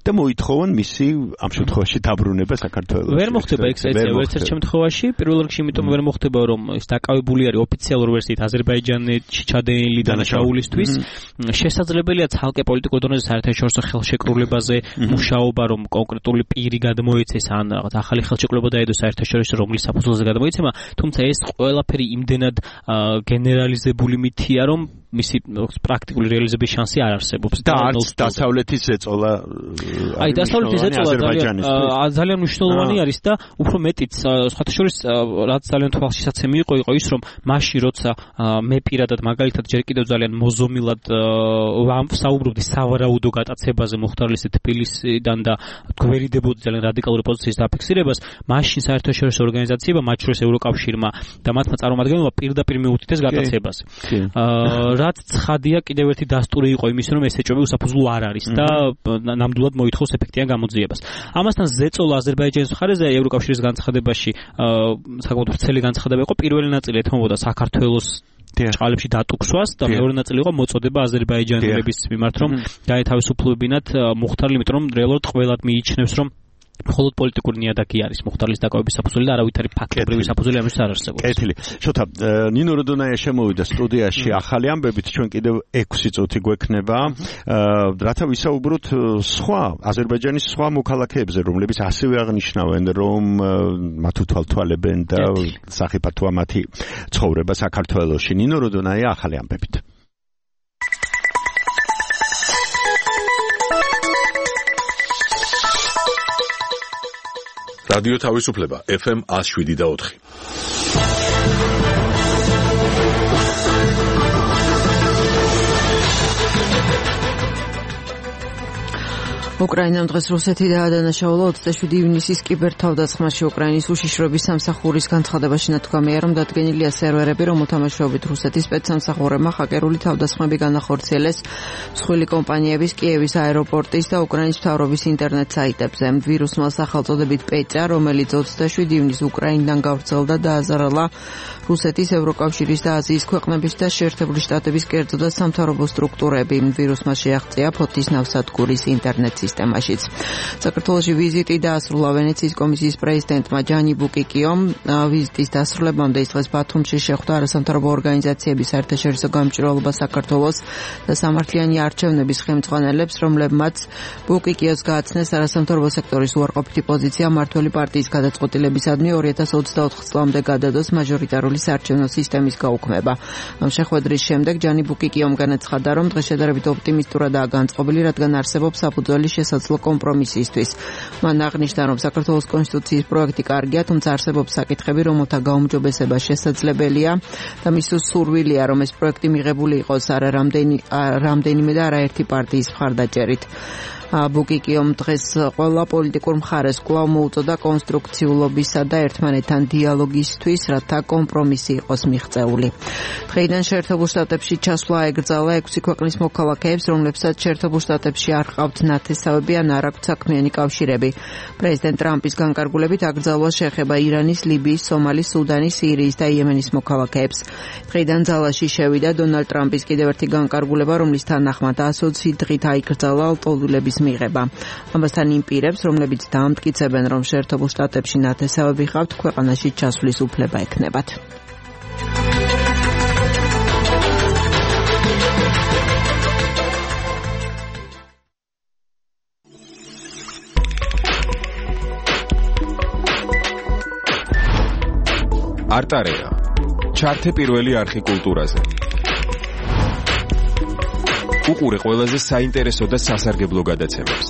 და მოითხოვონ მისი ამ შემთხვევაში დაბრუნება საქართველოში. ვერ მოხდება ეგ ერთ შემთხვევაში, პირველ რიგში იმიტომ ვერ მოხდება, რომ ის დაკავებული არის ოფიციალურ ვერსიით აზერბაიჯანეთში ჩადენილი დანაშაულისთვის. შესაძლებელია ცალკე პოლიტიკურ დონეზე საერთაშორისო ხელშეკრულებაზე მუშაობა, რომ კონკრეტული პირი გადმოეცეს ან რაღაც ახალი ხელშეკრულება დაედოს საერთაშორისო რომლის საფუძველზე გადმოეცემა, თუმცა ეს ყველაფერი იმდენად გენერალიზებული მითია, რომ მისი პრაქტიკული რეალიზების შანსი არ არსებობს და არც დასავლეთის ზეწოლა აი დასავლეთის ზეწოლა ძალიან მნიშვნელოვანი არის და უფრო მეტიც სხვათა შორის რაც ძალიან თვალშისაცემი იყო ის რომ მაშინ როცა მე პირადად მაგალითად ჯერ კიდევ ძალიან მოზომილად საუბრობდი სავარაუდო გატაცებაზე მუხტარლისის თბილისიდან და გვერიდებოდი ძალიან რადიკალური პოზიციის დაფიქსირებას, მაშინ საერთაშორისო ორგანიზაციებმა, მათ შორის ევროკავშირმა და მათმა წარმომადგენლებმა პირდაპირ მიუთითეს გატაცებას. რაც ცხადია კიდევ ერთი დასტური იყო იმის, რომ ეს ეჭვები უსაფუძვლო არ არის და ნამდვილად მოითხოვს ეფექტიან გამოძიებას. ამასთან ზეწოლა აზერბაიჯანის მხარეზე ევროკავშირის განცხადებაში საკმაოდ ვრცელი განცხადება იყო, პირველი ნაწილი ეთმობოდა საქართველოს ჭყალებში დატუქსვას და მეორე ნაწილი იყო მოწოდება აზერბაიჯანელების მიმართ, რომ გაეთავისუფლებინათ მუხტარლი, იმიტომ რომ რეალურად ყველად მიიჩნევს, რომ მხოლოდ პოლიტიკური ნიადაგი არის მუხტარლის დაკავების საფუძველი და არავითარი ფაქტობრივი საფუძველი ამის არ არსებობს. კეთილი. შოთა, ნინო როდონაია შემოვიდა სტუდიაში ახალი ამბებით, ჩვენ კიდევ 6 წუთი გვექნება. რათა ვისაუბროთ სხვა აზერბაიჯანის სხვა მოქალაქეებზე, რომლებიც ასევე აღნიშნავენ, რომ მათ უთვალთვალებენ და სახიფათოა მათი ცხოვრება საქართველოში. ნინო როდონაია ახალი ამბებით. რადიო თავისუფლება FM 107.4. უკრაინამ დღეს რუსეთი დაადანაშაულა 27 ივნისის კიბერთავდასხმაში. უკრაინის უშიშროების სამსახურის განცხადებაში ნათქვამია, რომ დადგენილია სერვერები, რომელთა მეშვეობით რუსეთის სპეცსამსახურებმა ჰაკერული თავდასხმები განახორციელეს მსხვილი კომპანიების კიევის აეროპორტის და უკრაინის მთავრობის ინტერნეტ საიტებზე. ვირუსმა სახელწოდებით პეჭა, რომელიც 27 ივნისს უკრაინიდან გავრცელდა და დააზარალა რუსეთის, ევროკავშირის და აზიის ქვეყნების და შეერთებული შტატების კერძო და სამთავრობო სტრუქტურები. ვირუსმა შეაღწია ფოთის ნავსადგურის ინტერნეტ სისტემაშიც. საქართველოში ვიზიტი დაასრულა ვენეციის კომისიის პრეზიდენტმა ჯანი ბუკიკიომ. ვიზიტის დასრულებამდე ის დღეს ბათუმში შეხვდა არასამთავრობო ორგანიზაციების საერთაშორისო გამჭვირვალობა საქართველოს და სამართლიანი არჩევნების ხელმძღვანელებს, რომლებმაც ბუკიკიოს გააცნეს არასამთავრობო სექტორის უარყოფითი პოზიცია მმართველი პარტიის გადაწყვეტილებისადმი 2024 წლამდე გადადოს მაჟორიტარული საარჩევნო სისტემის გაუქმება. ამ შეხვედრის შემდეგ ჯანი ბუკიკიომ განაცხადა, რომ დღეს შედარებით ოპტიმისტურადაა განწყობილი, რადგან არსებობს საფუძველი შესაძლო კომპრომისისთვის. მან აღნიშნა, რომ საქართველოს კონსტიტუციის პროექტი კარგია, თუმცა არსებობს საკითხები, რომელთა გაუმჯობესება შესაძლებელია და მის სურვილია, რომ ეს პროექტი მიღებული იყოს არა რამდენიმე და არაერთი პარტიის მხარდაჭერით. ბუკიკიომ დღეს ყველა პოლიტიკურ მხარეს კვლავ მოუწოდა კონსტრუქციულობისა და ერთმანეთთან დიალოგისთვის, რათა კომპრომისი იყოს მიღწეული. დღეიდან შეერთებულ შტატებში ჩასვლა ეკრძალა 6 ქვეყნის მოქალაქეებს, რომლებსაც შეერთებულ შტატებში არ ჰყავთ ნათესავები ან არ აქვთ საქმიანი კავშირები. პრეზიდენტ ტრამპის განკარგულებით აკრძალვა შეეხება ირანის, ლიბიის, სომალის, სუდანის, სირიის და იემენის მოქალაქეებს. დღეიდან ძალაში შევიდა დონალდ ტრამპის კიდევ ერთი განკარგულება, რომლის თანახმად 120 დღით აიკრძალა ლტოლვილების მიღება. ამასთან იმ პირებს, რომლებიც დაამტკიცებენ, რომ შეერთებულ შტატებში ნათესავები ჰყავთ, ქვეყანაში ჩასვლის უფლება ექნებათ. არტარია ჩართე პირველი არხი კულტურაზე. უყურე ყველაზე საინტერესო და სასარგებლო გადაცემებს.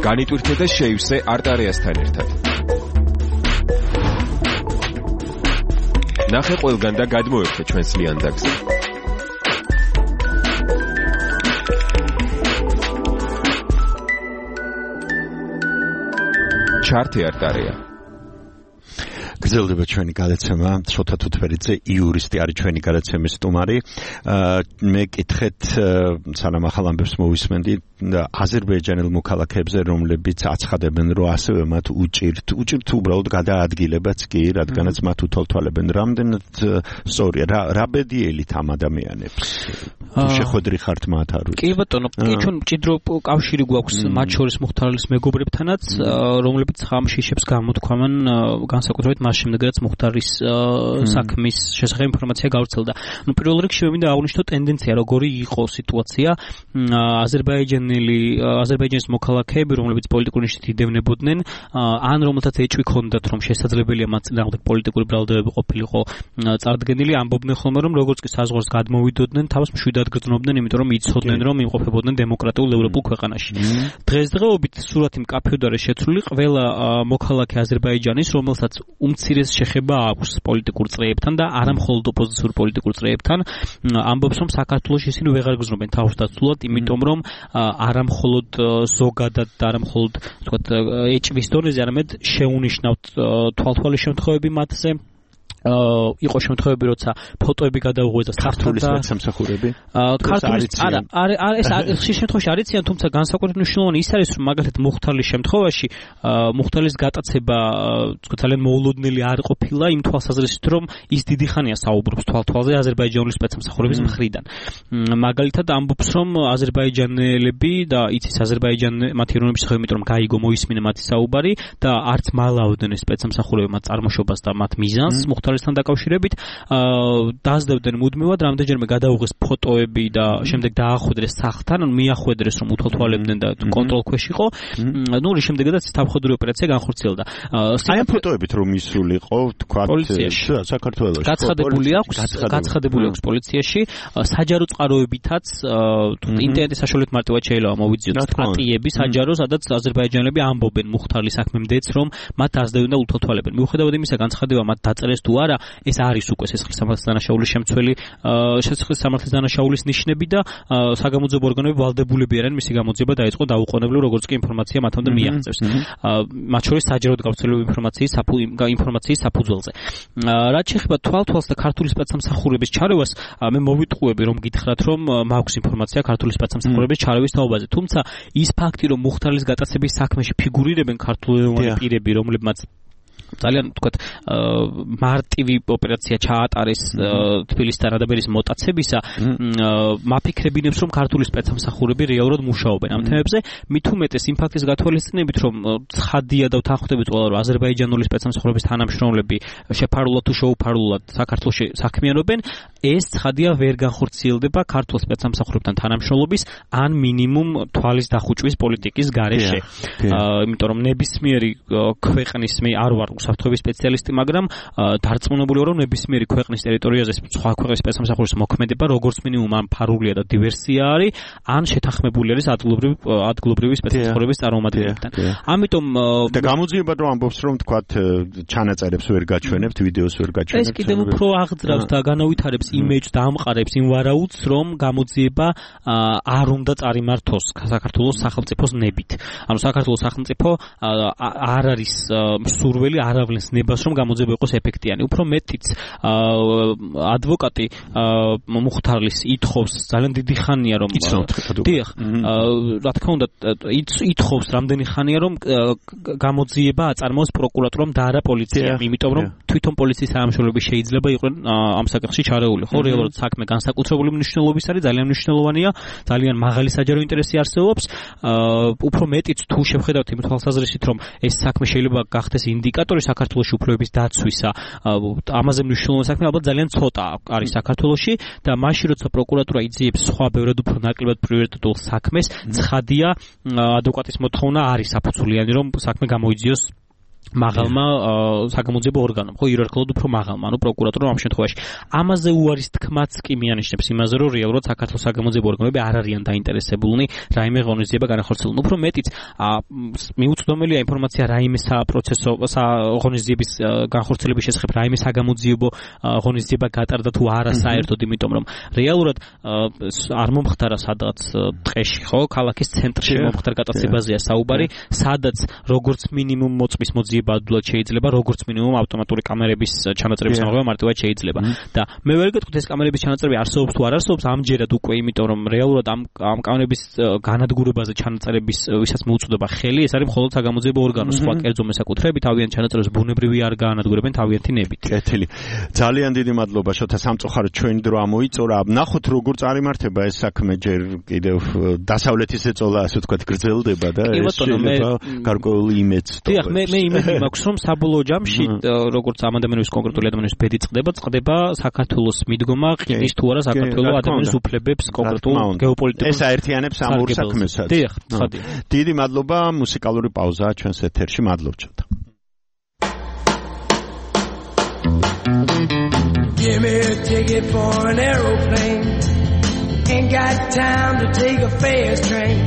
განიტვირთე და შეივსე არტარეასთან ერთად. ნახე ყველგან და გადმოერთე ჩვენს ლიანდაგზე. ჩართე არტარია. გრძელდება ჩვენი გადაცემა, შოთა თუთფერიძე იურისტი არის ჩვენი გადაცემის სტუმარი. მე კითხეთ სანამ ახალ ამბებს მოვისმენდი აზერბაიჯანელ მოქალაქეებზე, რომლებიც აცხადებენ, რომ ასევე მათ უჭირთ უბრალოდ გადაადგილებაც კი, რადგანაც მათ უთვალთვალებენ. რამდენად სწორია, რა ბედიელით ამ ადამიანებს? თუ შეხვედრი ხართ მათ არ ვიცი. კი ბატონო, კი ჩვენ მჭიდრო კავშირი გვაქვს მათ შორის მუხთარლის მეგობრებთანაც, რომლებიც ხამშიშებს გამოთქვამენ განსაკუთრებით მას შემდეგაც მუხთარის საქმის შესახებ ინფორმაცია გავრცელდა. პირველ რიგში მე მინდა აღვნიშნო ტენდენცია, როგორი იყო სიტუაცია. აზერბაიჯანის მოქალაქეები, რომლებიც პოლიტიკურ ნიშნით იდევნებოდნენ, ან რომელთაც ეჭვი ჰქონდათ, რომ შესაძლებელია მათ წინააღმდეგ პოლიტიკური ბრალდებები ყოფილიყო წარდგენილი, ამბობდნენ ხოლმე, რომ როგორც კი საზღვარს გადმოვიდოდნენ, თავს მშვიდად გრძნობდნენ, იმიტომ რომ იცოდნენ, რომ იმყოფებოდნენ დემოკრატიულ ევროპულ ქვეყანაში. დღესდღეობით სურათი მკაფიოდ არის შეცვლილი, ყველა მოქალაქე აზერბაიჯანის, რომელსაც უმცირეს შეხება აქვს პოლიტიკურ წრეებთან და არა მხოლოდ ოპოზიციურ პოლიტიკურ წრეებთან, ამბობს, რომ საქართველოში ისინი ვეღარ გრძნობენ თავს დაცულად, იმიტომ რომ არა მხოლოდ ზოგადად და არა მხოლოდ ვთქვათ ეჭვის დონეზე, არამედ შეუნიშნავთ თვალთვალის შემთხვევები მათზე. იყო შემთხვევები, როცა ფოტოები გადაუღვეს და ქართული სპეცსამსახურები. ქართული ეს ხშირ შემთხვევაში არიციან, თუმცა განსაკუთრებით მნიშვნელოვანი ის არის, რომ მაგალითად მუხთარლის შემთხვევაში მუხთარლის გატაცება ძალიან მოულოდნელი არ ყოფილა იმ თვალსაზრისით, რომ ის დიდი ხანია საუბრობს თვალთვალზე აზერბაიჯანული სპეცსამსახურების მხრიდან. მაგალითად ამბობს, რომ აზერბაიჯანელები და იცის მათი ეროვნების შესახებ, იმიტომ რომ გაიგო მოისმინა მათი საუბარი და არც მალავდნენ სპეცსამსახურები მათ წარმოშობას და მათ მიზანს მუხთარისთან დაკავშირებით, დაასდებდნენ მუდმივად, რამდენჯერმე გადაუღეს ფოტოები და შემდეგ დაახვედრეს სახლთან, ანუ მიახვედრეს, რომ უთვალთვალებდნენ და კონტროლ ქვეშ იყო. ნუ შემდეგაც თავხოდური ოპერაცია განხორციელდა. აი ამ ფოტოებით რომ ისულიყო, თქვათ საქართველოში. გაცხადებული აქვს პოლიციაში, საჯარო წყაროებითაც ინტერნეტის საშუალებით მარტივად შეიძლება მოვიძიოთ სტატიები საჯარო, სადაც აზერბაიჯანელები ამბობენ მუხთარლის საქმემდეც, რომ მათ დაასდებდნენ და უთვალთვალებენ. მიუხედავად იმისა, განცხადება მათ დაწერეს თუ არა, ეს არის უკვე სისხლის სამართლის დანაშაულის შემცველი, სისხლის სამართლის დანაშაულის ნიშნები და საგამოძიებო ორგანოები ვალდებულები არიან მისი გამოძიება დაეწყო დაუყოვნებლივ, როგორც კი ინფორმაცია მათამდე მიაღწევს. მათ შორის საჯაროდ გავრცელებული ინფორმაციის საფუძველზე. რაც შეეხება თვალთვალს და ქართული სპეცსამსახურების ჩარევას, მე მოვიტყუები, რომ გითხრათ, რომ მაქვს ინფორმაცია ქართული სპეცსამსახურების ჩარევის თაობაზე. თუმცა ის ფაქტი, რომ მუხთარლის გატაცების საქმეში ფიგურირებენ ქართულენოვანი პირები, რომლებმაც ძალიან ვთქვათ მარტივი ოპერაცია ჩაატარეს თბილისთან ადაბერის მოტაცებისა, მაფიქრებინებს, რომ ქართული სპეცსამსახურები რეალურად მუშაობენ ამ თემებზე. მით უმეტეს იმ ფაქტის გათვალისწინებით, რომ ცხადია და ვთანხმდებით ყველა, რომ აზერბაიჯანული სპეცსამსახურების თანამშრომლები შეფარულად თუ შეუფარულად საქართველოში საქმიანობენ, ეს ცხადია ვერ განხორციელდება ქართულ სპეცსამსახურებთან თანამშრომლობის ან მინიმუმ თვალის დახუჭვის პოლიტიკის გარეშე. იმიტომ რომ ნებისმიერი ქვეყნის არ ვარ უსაფრთხოების სპეციალისტი, მაგრამ დარწმუნებული ვარ, რომ ნებისმიერი ქვეყნის ტერიტორიაზე სხვა ქვეყნის სპეცსამსახურის მოქმედება როგორც მინიმუმ ან ფარულია და დივერსია არის, ან შეთანხმებული არის ადგილობრივი სპეცსამსახურების წარმომადგენლებთან. ამიტომ და გამოძიება რომ ამბობს, რომ თქვათ ჩანაწერებს ვერ გაჩვენებთ, ვიდეოს ვერ გაჩვენებთ. ეს კიდევ უფრო აღძრავს და განავითარებს იმეჯს და ამყარებს იმ ვარაუდს, რომ გამოძიება არ უნდა წარიმართოს საქართველოს სახელმწიფოს ნებით. ანუ საქართველოს სახელმწიფო არ არის მსურველი აავლენს ნებას, რომ გამოძიება იყოს ეფექტიანი. უფრო მეტიც ადვოკატი მუხთარლის ითხოვს ძალიან დიდი ხანია, რომ დიახ, რა თქმა უნდა, ითხოვს რამდენი ხანია, რომ გამოძიება აწარმოოს პროკურატურამ და არა პოლიციამ, იმიტომ რომ თვითონ პოლიციის თანამშრომლები შეიძლება იყვნენ ამ საკითხში ჩარეული. ხო, რეალურად საქმე განსაკუთრებული მნიშვნელობის არის, ძალიან მნიშვნელოვანია, ძალიან მაღალი საჯარო ინტერესი არსებობს. უფრო მეტიც თუ შევხედავთ იმ თვალსაზრისით, რომ ეს საქმე შეიძლება გახდეს ინდიკატორი საქართველოს უფლებების დაცვისა, ამაზე მნიშვნელოვანი საქმე ალბათ ძალიან ცოტა არის საქართველოში და მაშინ როცა პროკურატურა იძიებს სხვა ბევრად უფრო ნაკლებად პრიორიტეტულ საქმეს, ცხადია ადვოკატის მოთხოვნა არის საფუძვლიანი, რომ საქმე გამოიძიოს მაღალმა საგამოძიებო ორგანომ, ხო, იერარქიულად უფრო მაღალმა, ანუ პროკურატურამ ამ შემთხვევაში. ამაზე უარის თქმაც კი მიანიშნებს იმაზე, რომ რეალურად საქართველოს საგამოძიებო ორგანოები არ არიან დაინტერესებულნი რაიმე ღონისძიება განახორციელონ. უფრო მეტიც, მიუწვდომელია ინფორმაცია რაიმე საპროცესო ღონისძიების განხორციელების შესახებ, რაიმე საგამოძიებო ღონისძიება გატარდა თუ არა საერთოდ, იმიტომ რომ რეალურად არ მომხდარა სადაც ტყეში, ხო, ქალაქის ცენტრში მომხდარ გატაცებაზეა საუბარი, სადაც როგორც მინიმუმ მოწმის მოძიება ადულად შეიძლება, როგორც მინიმუმ ავტომატური კამერების ჩანაწერების ამოღება მარტივად შეიძლება. და მე ვერ გეტყვით ეს კამერების ჩანაწერები არსებობს თუ არ არსებობს, ამჯერად უკვე, იმიტომ რომ რეალურად ამ კამერების განადგურებაზე ჩანაწერების ვისაც მოუწოდება ხელი, ეს არის მხოლოდ საგამოძიებო ორგანოს, სხვა კერძო მესაკუთრეები თავიანთ ჩანაწერებს ბუნებრივი არ გაანადგურებენ თავიანთი ნებით. კეთილი. ძალიან დიდი მადლობა შოთა სამწუხაროდ ჩვენი დრო ამოიწურა. ნახოთ როგორ წარიმართება ეს საქმე ჯერ კიდევ დასავლეთის ეწოლა, ასე ვთქვათ, გრძელდება და ეს შეიძლება გარკვეული იმედს დიახ, მე იმედი მაქვს, რომ საბოლოო ჯამში, როგორც ამ ადამიანების კონკრეტული ადამიანების ბედი წყდება საქართველოს მიდგომა, ყიდვის თუ არა საქართველოს ადამიანის უფლებებს კონკრეტულ გეოპოლიტიკურ ეს აერთიანებს ამ ორ საქმესაც. დიახ, ცხადია. დიდი მადლობა, მუსიკალური პაუზაა ჩვენს ეთერში. მადლობთ შოთა. Give me a ticket for an aeroplane. Ain't got time to take a fast train.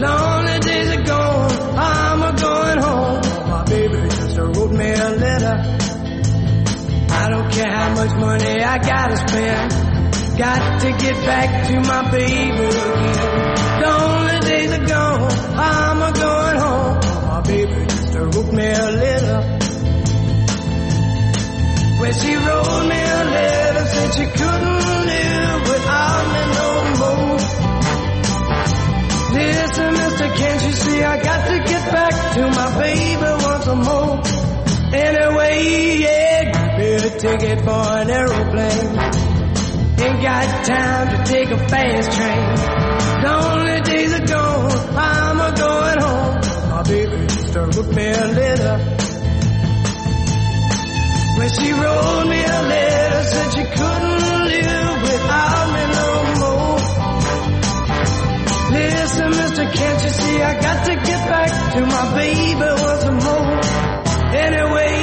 Lonely days are gone, I'm a-going home. My baby just wrote me a letter. I don't care how much money I gotta spend. Got to get back to my baby again. Lonely days are gone, I'm a-going home. My baby just wrote me a letter. When she wrote me a letter, said she couldn't live without me no more. Listen, mister, can't you see I got to get back to my baby once more. Anyway, yeah, give me a ticket for an aeroplane. Ain't got time to take a fast train. Lonely days are gone, I'm a-going home. My baby just wrote me a letter. When she wrote me a letter, said she couldn't live without me no more. Listen, mister, can't you see I got to get back to my baby once more. Anyway,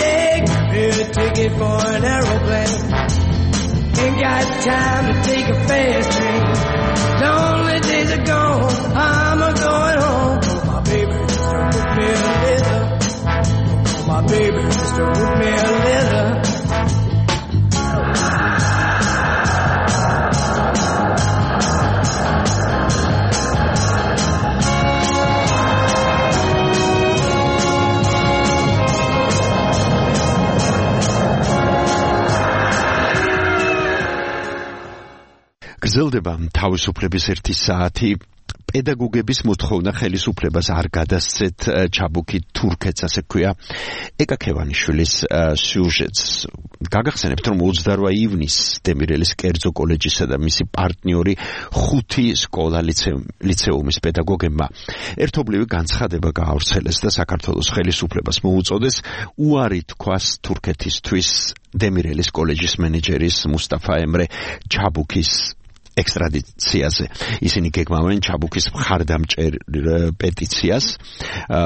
yeah, give me a ticket for an aeroplane. Ain't got time to take a fast train. Lonely days are gone, I'm a-going home. My baby just wrote me a letter. My baby just wrote me a letter. გრძელდება თავისუფლების ერთი საათი. პედაგოგების მოთხოვნა ხელისუფლებას არ გადასცეთ ჩაბუქი თურქეთს, ასე ქვია ეკა ქევანიშვილის სიუჟეტს. გაგახსენებთ, რომ 28 ივნისს დემირელის კერძო კოლეჯისა და მისი პარტნიორი 5 სკოლა ლიცეუმის პედაგოგებმა ერთობლივი განცხადება გაავრცელეს და საქართველოს ხელისუფლებას მოუწოდეს უარი თქვას თურქეთისთვის დემირელის კოლეჯის მენეჯერის მუსტაფა ემრე ჩაბუქის ექსტრადიციაზე. ისინი გეგმავენ ჩაბუქის მხარდამჭერ პეტიციას,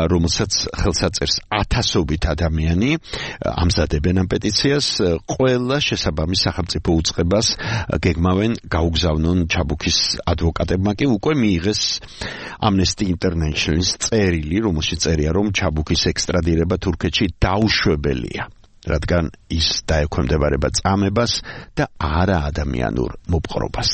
რომელსაც ხელსაწერს 1000-ობით ადამიანი ამზადებენ ამ პეტიციას. ყველა შესაბამის სახელმწიფო უწყებას გეგმავენ გაუგზავნონ ჩაბუქის ადვოკატებმა კი უკვე მიიღეს Amnesty International-ის წერილი, რომელშიც წერია, რომ ჩაბუქის ექსტრადირება თურქეთში დაუშვებელია, რადგან ის დაექვემდებარება წამებას და არა ადამიანურ მოპყრობას.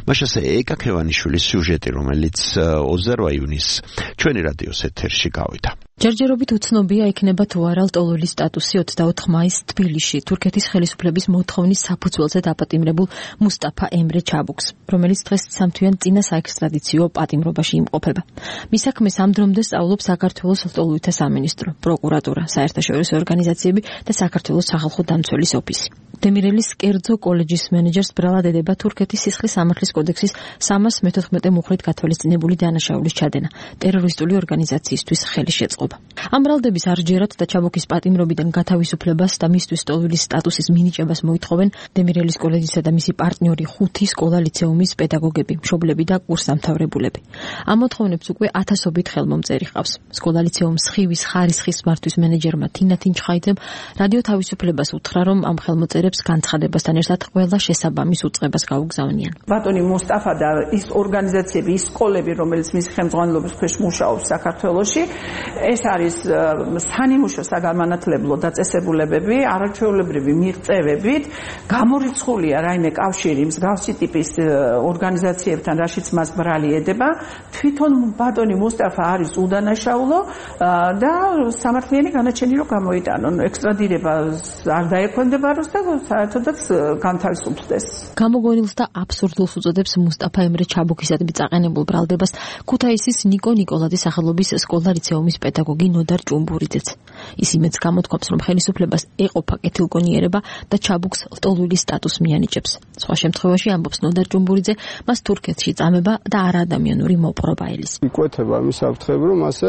მაშასე ეკა ქევანიშვილის სიუჟეტი, რომელიც 28 ივნისს ჩვენი რადიოს ეთერში გავიდა. ჯერჯერობით უცნობია იქნება თუ არა ლტოლვილი სტატუსი 24 მაისს თბილისში თურქეთის ხელისუფლების მოთხოვნის საფუძველზე დაპატიმრებულ მუსტაფა ემრე ჩაბუქს, რომელიც დღეს სამთვიან წინა საექსტრადიციო პატიმრობაში იმყოფება. მის საქმეს ამ დრომდე სწავლობს საქართველოს ლტოლვილთა სამინისტრო, პროკურატურა, საერთაშორისო ორგანიზაციები და საქართველოს სახალხო დამცველის ოფისი. დემირელის კერძო კოლეჯის მენეჯერს ბრალად ედება თურქეთის სისხლის სამართლის კოდექსის 314 მუხრით გათვალისწინებული დანაშაულის ჩადენა ტერორისტული ორგანიზაციისთვის ხელის შეწყობა. მიღება. ამ ბრალდების არჯერად და ჩაბუქის პატიმრობიდან გათავისუფლებას და მისთვის სტოლვილის სტატუსის მინიჭებას მოითხოვენ დემირელის კოლეჯისა და მისი პარტნიორი 5 სკოლა-ლიცეუმის პედაგოგები, მშობლები და კურსდამთავრებულები. ამ მოთხოვნებს უკვე ათასობით ხელმომწერი ყავს. სკოლა-ლიცეუმის ხივის ხარისხის მართვის მენეჯერმა თინა თინჩხაიძემ რადიო თავისუფლებას უთხრა, რომ ამ ხელმოწერებს განცხადებასთან ერთად ყველა შესაბამის უწყებას გაუგზავნიან. ბატონი მუსტაფა და ის ორგანიზაციები, ის სკოლები, რომელიც მის ხელმძღვანელობის ქვეშ მუშაობს საქართველოში, ეს არის სანიმუშო საგანმანათლებლო დაწესებულებები, არაჩვეულებრივი მიღწევებით, გამორიცხულია რაიმე კავშირი მსგავსი ტიპის ორგანიზაციებთან, რაშიც მას ბრალი ედება. თვითონ ბატონი მუსტაფა არის უდანაშაულო და სამართლიანი განაჩენი რომ გამოიტანონ. ექსტრადირება არ დაექვემდებაროს და საერთოდაც განთავისუფლდეს. გამოგონილს და აბსურდულს უწოდებს მუსტაფა ემრე ჩაბუქისადმი წაყენებულ ბრალდებას ქუთაისის ნიკო ნიკოლაძის სახელობის სკოლა-ლიცეუმის პედაგოგი ნოდარ ჭუმბურიძეც. ის იმედს გამოთქვამს, რომ ხელისუფლებას ეყოფა კეთილგონიერება და ჩაბუქს ლტოლვილის სტატუსს მიანიჭებს. სხვა შემთხვევაში, ამბობს ნოდარ ჭუმბურიძე, მას თურქეთში წამება და არაადამიანური მოპყრობა ელის. იკვეთება მის საფრთხები, რომ ასე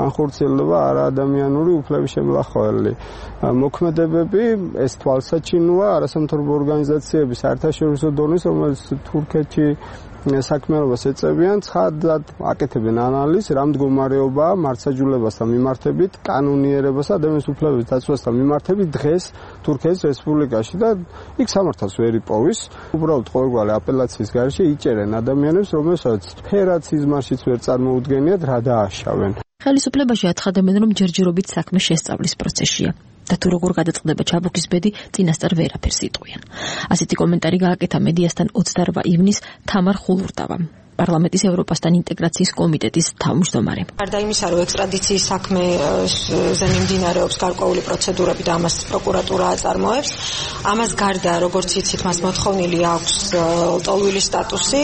განხორციელდება არაადამიანური უფლების შემლახველი. მოქმედებები ეს თვალსაჩინოა არასამთავრობო ორგანიზაციების საერთაშორისო დონის, რომელიც თურქეთში საქმიანობას ეწევიან, ცხადად აკეთებენ ანალიზს, რა მდგომარეობაა მართლმსაჯულებასთან მიმართებით, კანონიერებასა და ადამიანის უფლებების დაცვასთან მიმართებით დღეს თურქეთის რესპუბლიკაში და იქ სამართალს ვერ იპოვის. უბრალოდ ყოველგვარი აპელაციის გარეშე იჭერენ ადამიანებს, რომელსაც ფერად სიზმარშიც ვერ წარმოუდგენიათ, რა დააშავენ. ხელისუფლებაში აცხადებენ, რომ ჯერჯერობით საქმე შესწავლის პროცესშია. და თუ როგორ გადაწყდება ჩაბუქის ბედი, წინასწარ ვერაფერს იტყვიან. ასეთი კომენტარი გააკეთა მედიასთან 28 ივნისს თამარ ხულურტავამ, პარლამენტის ევროპასთან ინტეგრაციის კომიტეტის თავმჯდომარე. გარდა იმისა, რომ ექსტრადიციის საქმეზე მიმდინარეობს გარკვეული პროცედურები და ამას პროკურატურა აწარმოებს, ამას გარდა, როგორც იცით, მას მოთხოვნილი აქვს ლტოლვილის სტატუსი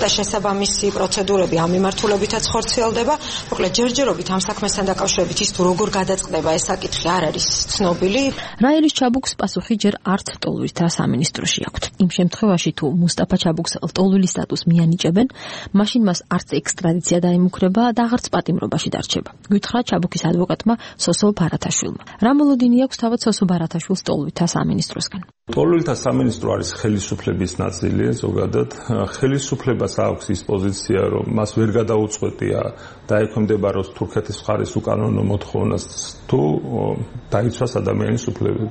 და შესაბამისი პროცედურები ამ მიმართულებითაც ხორციელდება. მოკლედ, ჯერჯერობით ამ საქმესთან დაკავშირებით ის თუ როგორ გადაწყდება, ეს საკითხი არ არის ცნობილი. რაელის ჩაბუქს პასუხი ჯერ არც ლტოლვილთა სამინისტროში აქვთ. იმ შემთხვევაში, თუ მუსტაფა ჩაბუქს ლტოლვილის სტატუსს მიანიჭებენ, მაშინ მას არც ექსტრადიცია დაემუქრება და აღარც პატიმრობაში დარჩება. გითხრა ჩაბუქის ადვოკატმა სოსო ბარათაშვილმა. რა მოლოდინი აქვს თავად სოსო ბარათაშვილს ლტოლვილთა სამინისტროსგან? ლტოლვილთა სამინისტრო არის ხელისუფლების ნაწილი, ზოგადად ხელისუფლებას აქვს ის პოზიცია, რომ მას ვერ გადაუწყვეტია დაექვემდებაროს თურქეთის მხარის უკანონო მოთხოვნას თუ დაიცვას ადამიანის უფლებები.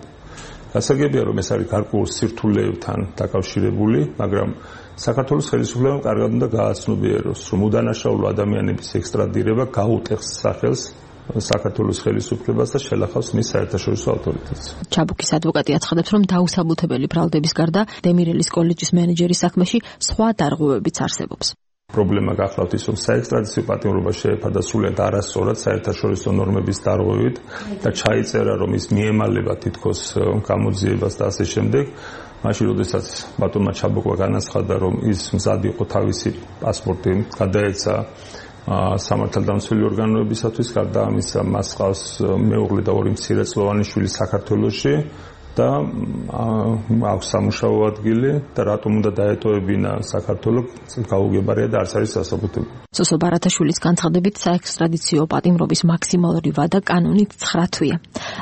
გასაგებია, რომ ეს არის გარკვეულ სირთულეებთან დაკავშირებული, მაგრამ საქართველოს ხელისუფლებამ კარგად უნდა გააცნობიეროს, რომ უდანაშაულო ადამიანების ექსტრადირება გაუტეხს სახელს საქართველოს ხელისუფლებას და შელახავს მის საერთაშორისო ავტორიტეტს. ჩაბუქის ადვოკატი აცხადებს, რომ დაუსაბუთებელი ბრალდების გარდა დემირელის კოლეჯის მენეჯერის საქმეში სხვა დარღვევებიც არსებობს. პრობლემა გახლავთ ის, რომ საექსტრადიციო პატიმრობა შეეფარდა სრულიად არასწორად საერთაშორისო ნორმების დარღვევით და ჩაიწერა, რომ ის მიემალება თითქოს გამოძიებას და ასე შემდეგ. მაშინ, როდესაც ბატონმა ჩაბუქვა განაცხადა, რომ ის მზად იყო თავისი პასპორტი გადაეცა სამართალდამცველი ორგანოებისათვის, გარდა ამისა მას ყავს მეუღლე და 2 მცირეწლოვანი შვილი საქართველოში და აქვს სამუშაო ადგილი და რატომ უნდა დაეტოვებინა საქართველოს გაუგებარია და არც არის სასაბუთებელი. სოსო ბარათაშვილის განცხადებით საექსტრადიციო პატიმრობის მაქსიმალური ვადა კანონით 9 თვეა.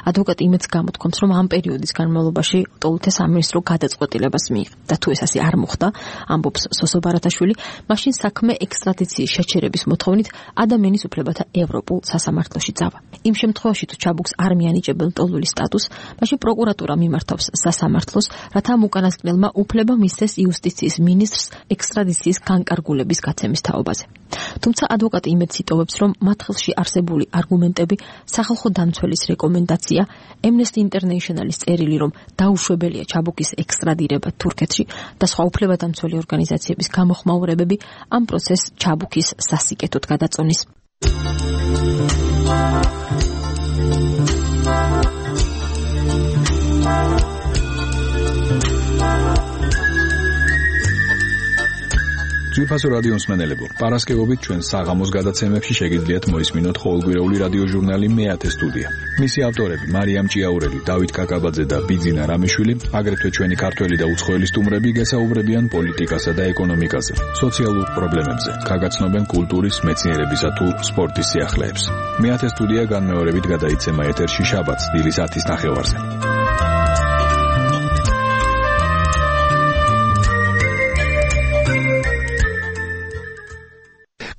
ადვოკატი იმედს გამოთქვამს, რომ ამ პერიოდის განმავლობაში ლტოლვილთა სამინისტრო გადაწყვეტილებას მიიღო და თუ ეს ასე არ მოხდა, ამბობს სოსო ბარათაშვილი, მაშინ საქმე ექსტრადიციის შეჩერების მოთხოვნით ადამიანის უფლებათა ევროპულ სასამართლოში წავა. იმ შემთხვევაში თუ ჩაბუქს არ მიანიჭებენ ლტოლვილის სტატუსს, მაშინ პროკურატურა მიმართავს სასამართლოს, რათა ამ უკანასკნელმა უფლება მისცეს იუსტიციის მინისტრს ექსტრადიციის განკარგულების გაცემის თაობაზე. თუმცა ადვოკატი იმედს იტოვებს, რომ მათ ხელში არსებული არგუმენტები, სახალხო დამცველის რეკომენდაცია, Amnesty International-ის წერილი, რომ დაუშვებელია ჩაბუქის ექსტრადირება თურქეთში და სხვა უფლებადამცველი ორგანიზაციების გამოხმაურებები ამ პროცესს ჩაბუქის სასიკეთოდ გადაწონის. საინფორმაციო რადიო მსმენელებო, პარასკევობით ჩვენ საღამოს გადაცემებში შეგიძლიათ მოისმინოთ ყოველკვირეული რადიო ჟურნალი მეათე სტუდია. მისი ავტორები მარიამ ჭიაურელი, დავით კაკაბაძე და ბიძინა რამიშვილი, აგრეთვე ჩვენი ქართველი და უცხოელი სტუმრები გესაუბრებიან პოლიტიკასა და ეკონომიკაზე, სოციალურ პრობლემებზე, გაგაცნობენ კულტურის, მეცნიერებისა თუ სპორტის სიახლეებს. მეათე სტუდია განმეორებით გადაიცემა ეთერში შაბათს დილის 10:30-ზე.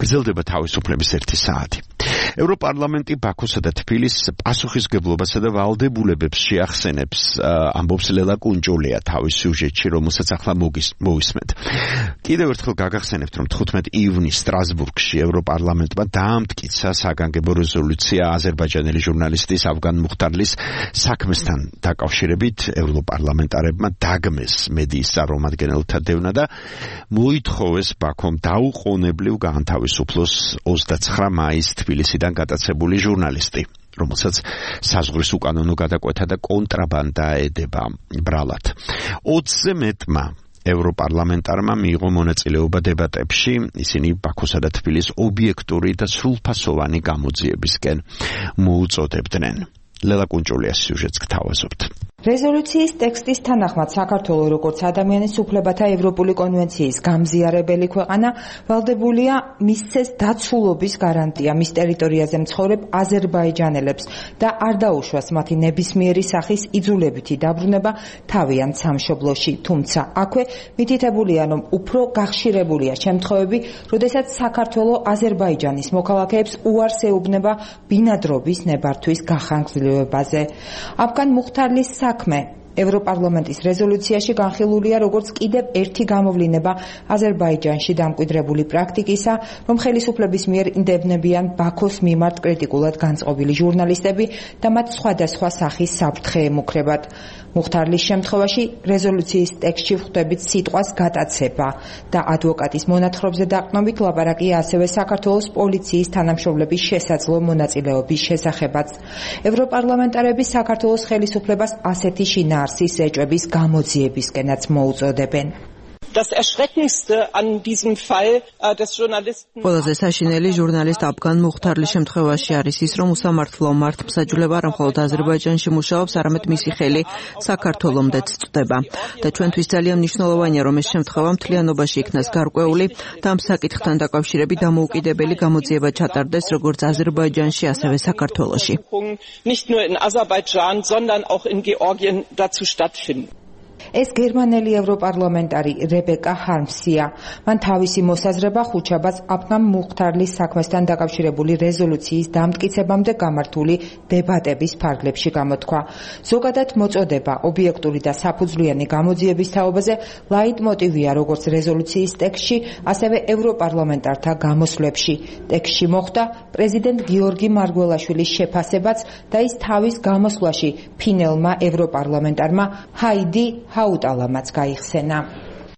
გრძელდება თავისუფლების 1 საათი. ევროპარლამენტი ბაქოსა და თბილისის პასუხისმგებლობასა და ვალდებულებებს შეახსენებს, ამბობს ლელა კუნჯოლია თავის სიუჟეტში, რომელსაც ახლა მოვისმენთ. კიდევ ერთხელ გაგახსენებთ, რომ 15 ივნისს სტრასბურგში ევროპარლამენტმა დაამტკიცა საგანგებო რეზოლუცია აზერბაიჯანელი ჟურნალისტის ავგან მუხტარლის საქმესთან დაკავშირებით. ევროპარლამენტარებმა დაგმეს მედიის წარმომადგენელთა დევნა და მოითხოვეს ბაქომ დაუყოვნებლივ გაანთავისუფლოს 29 მაისს თბილისიდან გატაცებული ჟურნალისტი, რომელსაც საზღვრის უკანონო გადაკვეთა და კონტრაბანდა ედება ბრალად. 20-ზე მეტმა ევროპარლამენტარმა მიიღო მონაწილეობა დებატებში, ისინი ბაქოსა და თბილისის ობიექტური და სრულფასოვანი გამოძიებისკენ მოუწოდებდნენ. ლელა კუნჯოლიას სიუჟეტს გთავაზობთ. რეზოლუციის ტექსტის თანახმად საქართველოს როგორც ადამიანის უფლებათა ევროპული კონვენციის გამზიარებელი ქვეყანა ვალდებულია მისცეს დაცულობის გარანტია მის ტერიტორიაზე მცხოვრებ აზერბაიჯანელებს და არ დაუშვას მათი ნებისმიერი სახის იძულებითი დაბრუნება თავიანთ სამშობლოში. თუმცა აქვე მითითებულია, რომ უფრო გახშირებულია შემთხვევები, როდესაც საქართველოს აზერბაიჯანის მოქალაქეებს უარს ეუბნება ბინადრობის ნებართვის გახანგრძლივებაზე. ავგან მუხტარლის საქმე ევროპარლამენტის რეზოლუციაში განხილულია როგორც კიდევ ერთი გამოვლინება აზერბაიჯანში დამკვიდრებული პრაქტიკისა, რომ ხელისუფლების მიერ ინდებნებიან ბაქოს მიმართ კრიტიკულად განწყობილი ჟურნალისტები და მათ სხვადასხვა სახის საფრთხე ემუქრებათ. მუხტარლის შემთხვევაში რეზოლუციის ტექსტში ვხვდებით სიტყვას გატაცება და ადვოკატის მონათხრობზე დაყრდნობით ლაპარაკია ასევე საქართველოს პოლიციის თანამშრომლების შესაძლო მონაწილეობის შესახებაც. ევროპარლამენტარები საქართველოს ხელისუფლებას ასეთი შინაარსის ეჭვების გამოძიებისკენაც მოუწოდებენ. ყველაზე საშინელი ჟურნალისტ ავგან მუხტარლის შემთხვევაში არის ის, რომ უსამართლო მართლმსაჯულება არა მხოლოდ აზერბაიჯანში მუშაობს, არამედ მისი ხელი საქართველომდეც წვდება. და ჩვენთვის ძალიან მნიშვნელოვანია, რომ ეს შემთხვევა მთლიანობაში იქნას გარკვეული და ამ საკითხთან დაკავშირებით დამოუკიდებელი გამოძიება ჩატარდეს როგორც აზერბაიჯანში, ასევე საქართველოში. ეს გერმანელი ევროპარლამენტარი რებეკა ჰარმსია. მან თავისი მოსაზრება ხუთშაბათს ავგან მუხტარლის საქმესთან დაკავშირებული რეზოლუციის დამტკიცებამდე გამართული დებატების ფარგლებში გამოთქვა. ზოგადად მოწოდება ობიექტური და საფუძვლიანი გამოძიების თაობაზე ლაიტმოტივია როგორც რეზოლუციის ტექსტში, ასევე ევროპარლამენტართა გამოსვლებში. ტექსტში მოხვდა პრეზიდენტ გიორგი მარგველაშვილის შეფასებაც და ის თავის გამოსვლაში ფინელმა ევროპარლამენტარმა ჰაიდი ჰაუტალამაც გაიხსენა.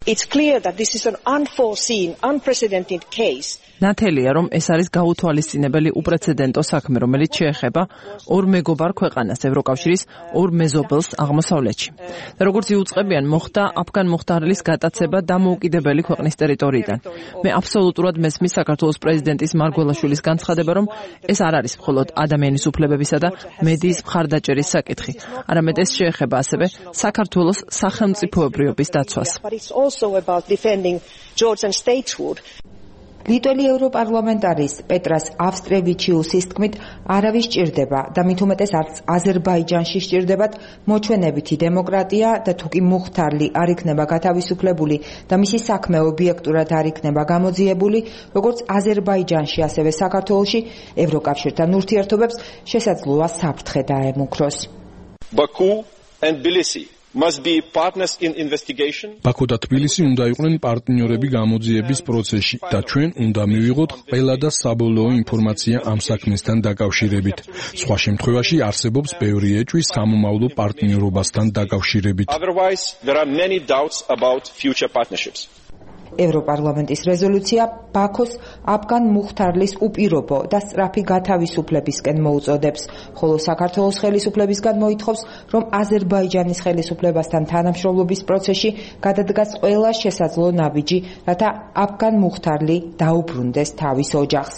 It's clear that this is an unforeseen, unprecedented case. ნათელია, რომ ეს არის გაუთვალისწინებელი უპრეცედენტო საქმე, რომელიც შეეხება ორ მეგობარ ქვეყანას, ევროკავშირის ორ მეზობელს აღმოსავლეთში. და როგორც იუწყებიან, მოხდა ავგან მუხტარლის გატაცება დამოუკიდებელი ქვეყნის ტერიტორიიდან. მე აბსოლუტურად მესმის საქართველოს პრეზიდენტის მარგველაშვილის განცხადება, რომ ეს არ არის მხოლოდ ადამიანის უფლებებისა და მედიის მხარდაჭერის საკითხი, არამედ ეს შეეხება ასევე საქართველოს სახელმწიფოებრიობის დაცვას. ლიტველი ევროპარლამენტარის პეტრას ავსტრევიჩიუსის თქმით, არავის სჭირდება და მით უმეტეს არც აზერბაიჯანში სჭირდებათ მოჩვენებითი დემოკრატია და თუკი მუხტარლი არ იქნება გათავისუფლებული და მისი საქმე ობიექტურად არ იქნება გამოძიებული, როგორც აზერბაიჯანში, ასევე საქართველოში, ევროკავშირთან ურთიერთობებს შესაძლოა საფრთხე დაემუქროს. Baku and Tbilisi must be partners in investigation. ბაქო და თბილისი უნდა იყვნენ პარტნიორები გამოძიების პროცესში და ჩვენ უნდა მივიღოთ ყველა და საბოლოო ინფორმაცია ამ საქმესთან დაკავშირებით. სხვა შემთხვევაში არსებობს ბევრი ეჭვი სამომავლო პარტნიორობასთან დაკავშირებით. Otherwise there are many doubts about future partnerships. ევროპარლამენტის რეზოლუცია ბაქოს აფგან მუხთარლის უპირობო და სწრაფი გათავისუფლებისკენ მოუწოდებს, ხოლო საქართველოს ხელისუფლებისგან მოითხოვს, რომ აზერბაიჯანის ხელისუფლებასთან თანამშრომლობის პროცესში გადადგას ყველა შესაძლო ნაბიჯი, რათა აფგან მუხთარლი დაუბრუნდეს თავის ოჯახს.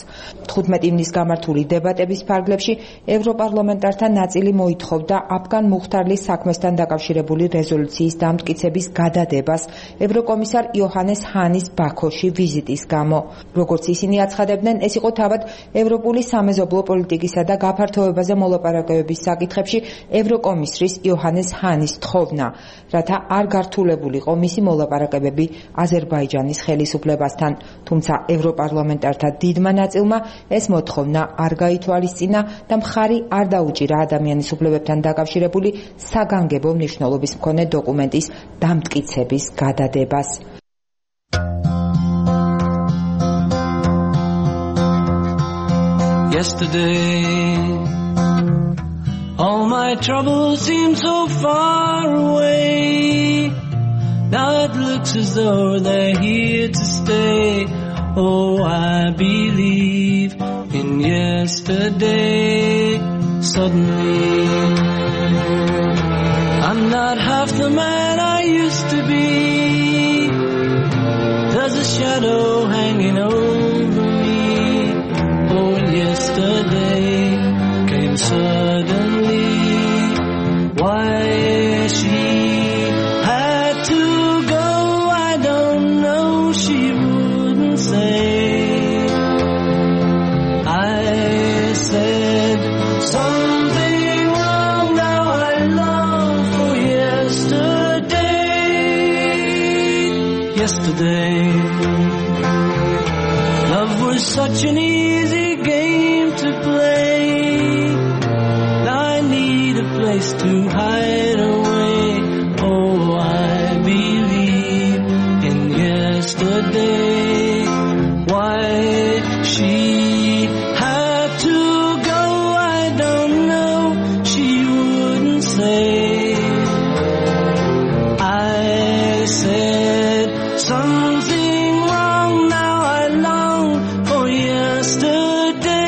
15 ივნის გამართული დებატების ფარგლებში ევროპარლამენტართა ნაწილი მოითხოვდა აფგან მუხთარლის საქმესთან დაკავშირებული რეზოლუციის დამტკიცების გადადებას ევროკომისარ იოჰანეს ჰანის ბაქოში ვიზიტის გამო. როგორც ისინი აცხადებდნენ, ეს იყო თავად ევროპული სამეზობლო პოლიტიკისა და გაფართოებაზე მოლაპარაკებების საკითხებში ევროკომისრის იოჰანეს ჰანის თხოვნა, რათა არ გართულებულიყო მისი მოლაპარაკებები აზერბაიჯანის ხელისუფლებასთან. თუმცა ევროპარლამენტართა დიდმა ნაწილმა ეს მოთხოვნა არ გაითვალისწინა და მხარი არ დაუჭირა ადამიანის უფლებებთან დაკავშირებული საგანგებო მნიშვნელობის მქონე დოკუმენტის დამტკიცების გადადებას. Yesterday, all my troubles seem so far away. Now it looks as though they're here to stay. Oh, I believe in yesterday. Suddenly, I'm not half the man I used to be. There's a shadow hanging over me. Oh, and yesterday came suddenly. Why she had to go, I don't know, she wouldn't say. I said something wrong, now I long for yesterday. Yesterday, love was such an easy game to play. Now I need a place to hide away. Oh, I believe in yesterday. Why she had to go, I don't know, she wouldn't say. I said something wrong, now I long for yesterday.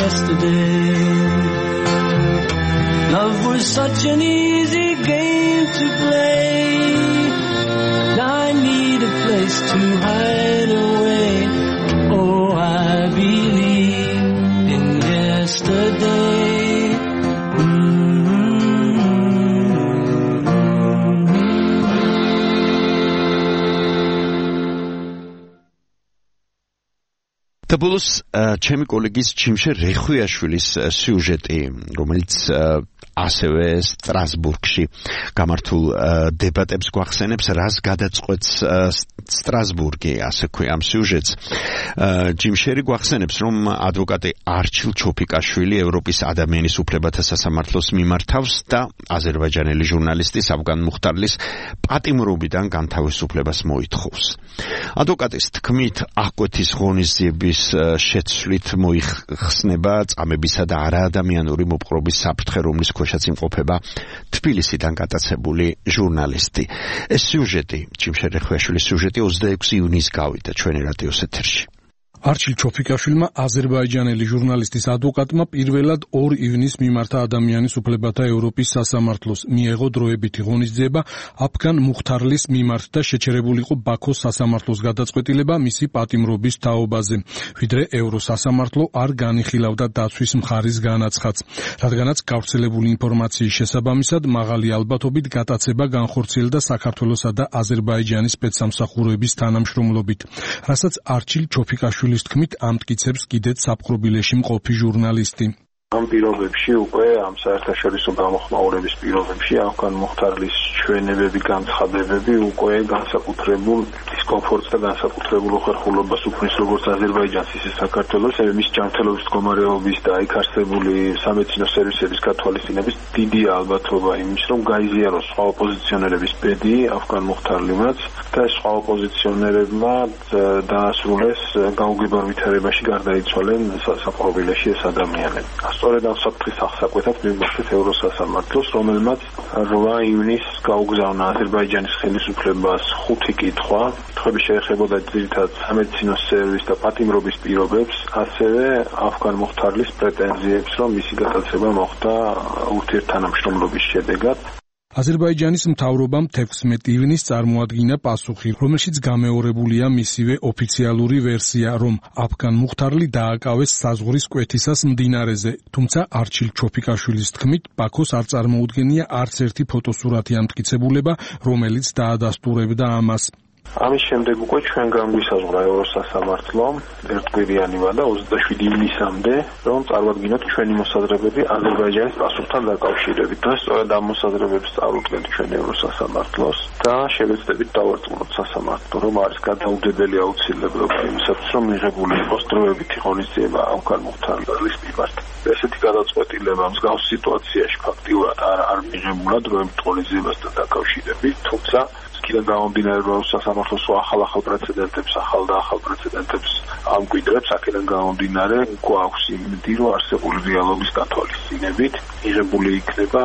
Yesterday, love was such an easy game to play. Now I need a place to hide away. Oh, I believe in yesterday. და ბოლოს ჩემი კოლეგის ჩიმშე რეხვიაშვილის სიუჟეტი, რომელიც ასევე სტრასბურგში გამართულ დებატებს გვახსენებს, რას გადაწყვეტს სტრასბურგი, ასე ქვია ამ სიუჟეტს. ჯიმშერი გვახსენებს, რომ ადვოკატი არჩილ ჩოფიკაშვილი ევროპის ადამიანის უფლებათა სასამართლოს მიმართავს და აზერბაიჯანელი ჟურნალისტის აფგან მუხთარლის პატიმრობიდან განთავისუფლებას მოითხოვს. ადვოკატის თქმით, აღკვეთის ღონისძიების შეცვლით მოიხსნება წამებისა და არაადამიანური მოპყრობის საფრთხე, რომლის ქვეშაც იმყოფება თბილისიდან გატაცებული ჟურნალისტი. ეს სიუჟეტი, ჩიმშერ რეხვიაშვილის სიუჟეტი 26 ივნისს გავიდა ჩვენი რადიოს ეთერში. არჩილ ჩოფიკაშვილმა აზერბაიჯანელი ჟურნალისტის ადვოკატმა პირველად 2 ივნისს მიმართა ადამიანის უფლებათა ევროპის სასამართლოს, მიეღო დროებითი ღონისძიება აფგან მუხთარლის მიმართ და შეჩერებულიყო ბაქოს სასამართლოს გადაწყვეტილება მისი პატიმრობის თაობაზე, ვიდრე ევროსასამართლო არ განიხილავდა დაცვის მხარის განაცხადს, რადგანაც გავრცელებული ინფორმაციის შესაბამისად მაღალი ალბათობით გატაცება განხორციელდა საქართველოსა და აზერბაიჯანის სპეცსამსახურების თანამშრომლობით, რასაც არჩილ ჩოფიკაშვილი თქმით ამტკიცებს კიდეც საპყრობილეში მყოფი ჟურნალისტი. ამ პირობებში უკვე ამ საერთაშორისო გამოხმაურების პირობებში აფგან მუხთარლის ჩვენებები, განცხადებები უკვე განსაკუთრებულ დისკომფორტს და განსაკუთრებულ უხერხულობას უქმნის როგორც აზერბაიჯანს, ისე საქართველოს, მის ჯანმრთელობის მდგომარეობის და იქ არსებული სამედიცინო სერვისების გათვალისწინების დიდი ალბათობა იმის, რომ გაიზიაროს სხვა ოპოზიციონერების ბედი აფგან მუხთარლიმაც და სხვა ოპოზიციონერებმა დაასრულეს გაუგებარ ვითარებაში გარდაიცვალნენ საპყრობილეში ეს ადამიანები. სწორედ ამ საფრთხის აღსაკვეთად მიმართეთ ევროსასამართლოს, რომელმაც 8 ივნისს გაუგზავნა აზერბაიჯანის ხელისუფლებას 5 კითხვა. კითხვები შეეხებოდა ძირითადად სამედიცინო სერვისს და პატიმრობის პირობებს, ასევე ავგან მუხთარლის პრეტენზიებს, რომ მისი გადაცემა მოხდა ურთიერთთანამშრომლობის შედეგად. აზერბაიჯანის მთავრობამ 16 ივნისს წარმოადგინა პასუხი, რომელშიც გამეორებულია მისივე ოფიციალური ვერსია, რომ ავგან მუხთარლი დააკავეს საზღვრის კვეთისას მდინარეზე, თუმცა არჩილ ჩოფიკაშვილის თქმით, ბაქოს არ წარმოუდგენია არც ერთი ფოტოსურათი ამტკიცებულება, რომელიც დაადასტურებდა ამას. ამის შემდეგ უკვე ჩვენ განგვისაზღვრა ევროსასამართლომ ერთკვირიანივა და 27 ივნისამდე, რომ წარვადგინოთ ჩვენი მოსაზრებები აზერბაიჯანის პასუხთან დაკავშირებით. და სწორედ ამ მოსაზრებებს წარუდგენთ ჩვენ ევროსასამართლოს და შევეცდებით დავარწმუნოთ სასამართლო, რომ არის გადაუდებელი აუცილებლობა იმისათვის, რომ მიღებული იყოს დროებითი ღონისძიება ავგან მუხთარლის მიმართ. ესეთი გადაწყვეტილება მსგავს სიტუაციაში ფაქტიურად არ მიღებულა დროებით ღონისძიებასთან დაკავშირებით, თუმცა კიდევ გამომდინარე რომ სასამართლოს ახალ პრეცედენტებს, ახალ პრეცედენტებს ამკვიდრებს, აქედან გამომდინარე გვაქვს იმედი, რომ არსებული დიალოგის გათვალისწინებით მიღებული იქნება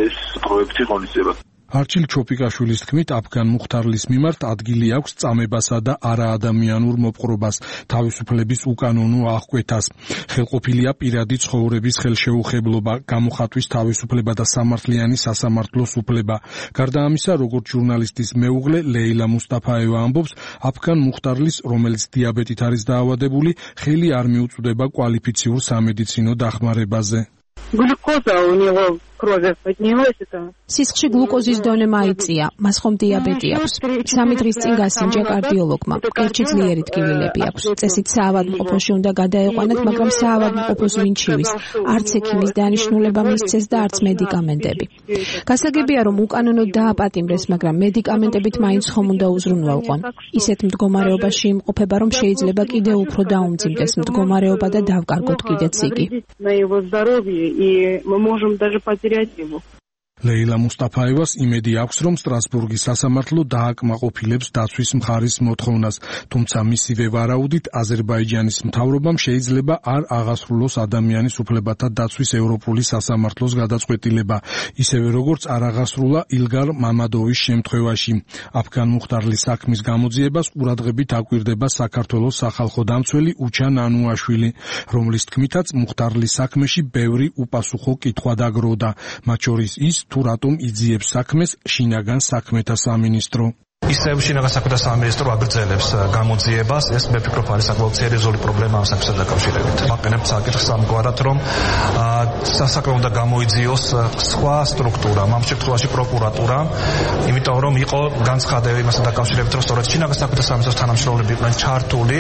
ეს პროექტი ღონისძიება. არჩილ ჩოფიკაშვილის თქმით, ავგან მუხთარლის მიმართ ადგილი აქვს წამებასა და არაადამიანურ მოპყრობას, თავისუფლების უკანონო აღკვეთას. ხელყოფილია პირადი ცხოვრების ხელშეუხებლობა, გამოხატვის თავისუფლება და სამართლიანი სასამართლოს უფლება. გარდა ამისა, როგორც ჟურნალისტის მეუღლე ლეილა მუსტაფაევა ამბობს, ავგან მუხთარლის, რომელიც დიაბეტით არის დაავადებული, ხელი არ მიუწვდება კვალიფიციურ სამედიცინო დახმარებაზე. Глюкоза у него крови поднялась это. სისხლში გლუკოზის დონე მაიწია, მას ხომ დიაბეტი აქვს. 3 დღის წინ გასინჯა კარდიოლოგმა. კერჩი ძლიერი ტკივილები აქვს. წესით საავადმყოფოში უნდა გადაეყვანათ, მაგრამ საავადმყოფოს ვინ ჩივის? არც ექიმის დანიშნულება მისცეს და არც მედიკამენტები. გასაგებია, რომ უკანონოდ დააპატიმრეს, მაგრამ მედიკამენტებით მაინც ხომ უნდა უზრუნველყონ. ისეთ მდგომარეობაში იმყოფება, რომ შეიძლება კიდევ უფრო დაუმძიმდეს მდგომარეობა და დავკარგოთ კიდეც იგი. И мы можем даже потерять его. ლეილა მუსტაფაევას იმედი აქვს, რომ სტრასბურგის სასამართლო დააკმაყოფილებს დაცვის მხარის მოთხოვნას, თუმცა მისივე ვარაუდით აზერბაიჯანის მთავრობამ შეიძლება არ აღასრულოს ადამიანის უფლებათა დაცვის ევროპული სასამართლოს გადაწყვეტილება, ისევე როგორც არ აღასრულა ილგარ მამადოვის შემთხვევაში. ავგან მუხთარლის საქმის გამოძიებას ყურადღებით აკვირდება საქართველოს სახალხო დამცველი უჩა ნანუაშვილი, რომლის თქმითაც მუხთარლის საქმეში ბევრი უპასუხო კითხვა დაგროვდა, მათ შორის ის თუ რატომ იძიებს საქმეს შინაგან საქმეთა სამინისტრო. ისევ შინაგან საქმეთა სამინისტრო აგრძელებს გამოძიებას, ეს მე ვფიქრობ არის საკმაოდ სერიოზული პრობლემა ამ საქმესთან დაკავშირებით. ვაყენებ საკითხს ამგვარად, რომ სასაქმე უნდა გამოიძიოს სხვა სტრუქტურა, ამ შემთხვევაში პროკურატურა, იმიტომ რომ იყო განცხადება იმასთან დაკავშირებით, რომ სწორედ შინაგან საქმეთა სამინისტროს თანამშრომლები იყვნენ ჩართული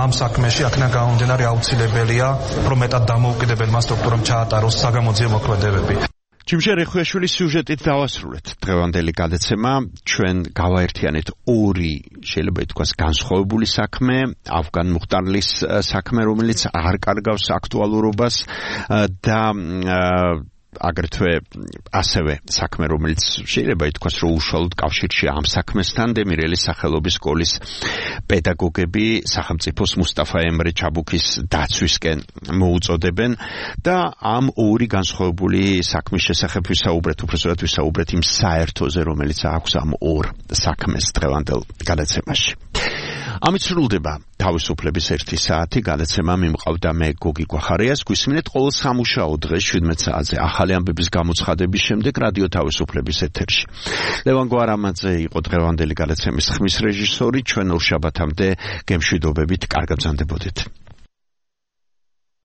ამ საქმეში, აქედან გამომდინარე აუცილებელია, რომ მეტად დამოუკიდებელმა სტრუქტურამ ჩაატაროს საგამოძიებო მოქმედებები. ჯიმშე რეხუაშვილის სიუჟეტით დავასრულეთ დღევანდელი გადაცემა. ჩვენ გავაერთიანეთ ორი, შეიძლება ითქვას, განსხვავებული საქმე, ავგან მუხტარლის საქმე, რომელიც არ კარგავს აქტუალურობას და აგრეთვე ასევე საქმე, რომელიც შეიძლება ითქვას, რომ უშუალოდ კავშირში ამ საქმესთან დემირელის სახელობის სკოლის პედაგოგები სახელმწიფოს მუსტაფა ემრე ჩაბუქის დაცვისკენ მოუწოდებენ და ამ ორი განსხვავებული საქმის შესახებ ვისაუბრეთ, უბრალოდ ვისაუბრეთ იმ საერთოზე, რომელიც აქვს ამ ორ საქმეს დღევანდელ გადაცემაში. ამით სრულდება თავისუფლების 1 საათი. გადაცემა მიმყავდა მე გოგი გვახარიას. გვისმინეთ ყოველ სამუშაო დღეს 17 საათზე ახალი ამბების გამოცხადების შემდეგ რადიო თავისუფლების ეთერში. ლევან გვარამაძე იყო დღევანდელი გადაცემის ხმის რეჟისორი. ჩვენ ორ შაბათამდე გემშვიდობებით კარგად ბრძანდებოდით.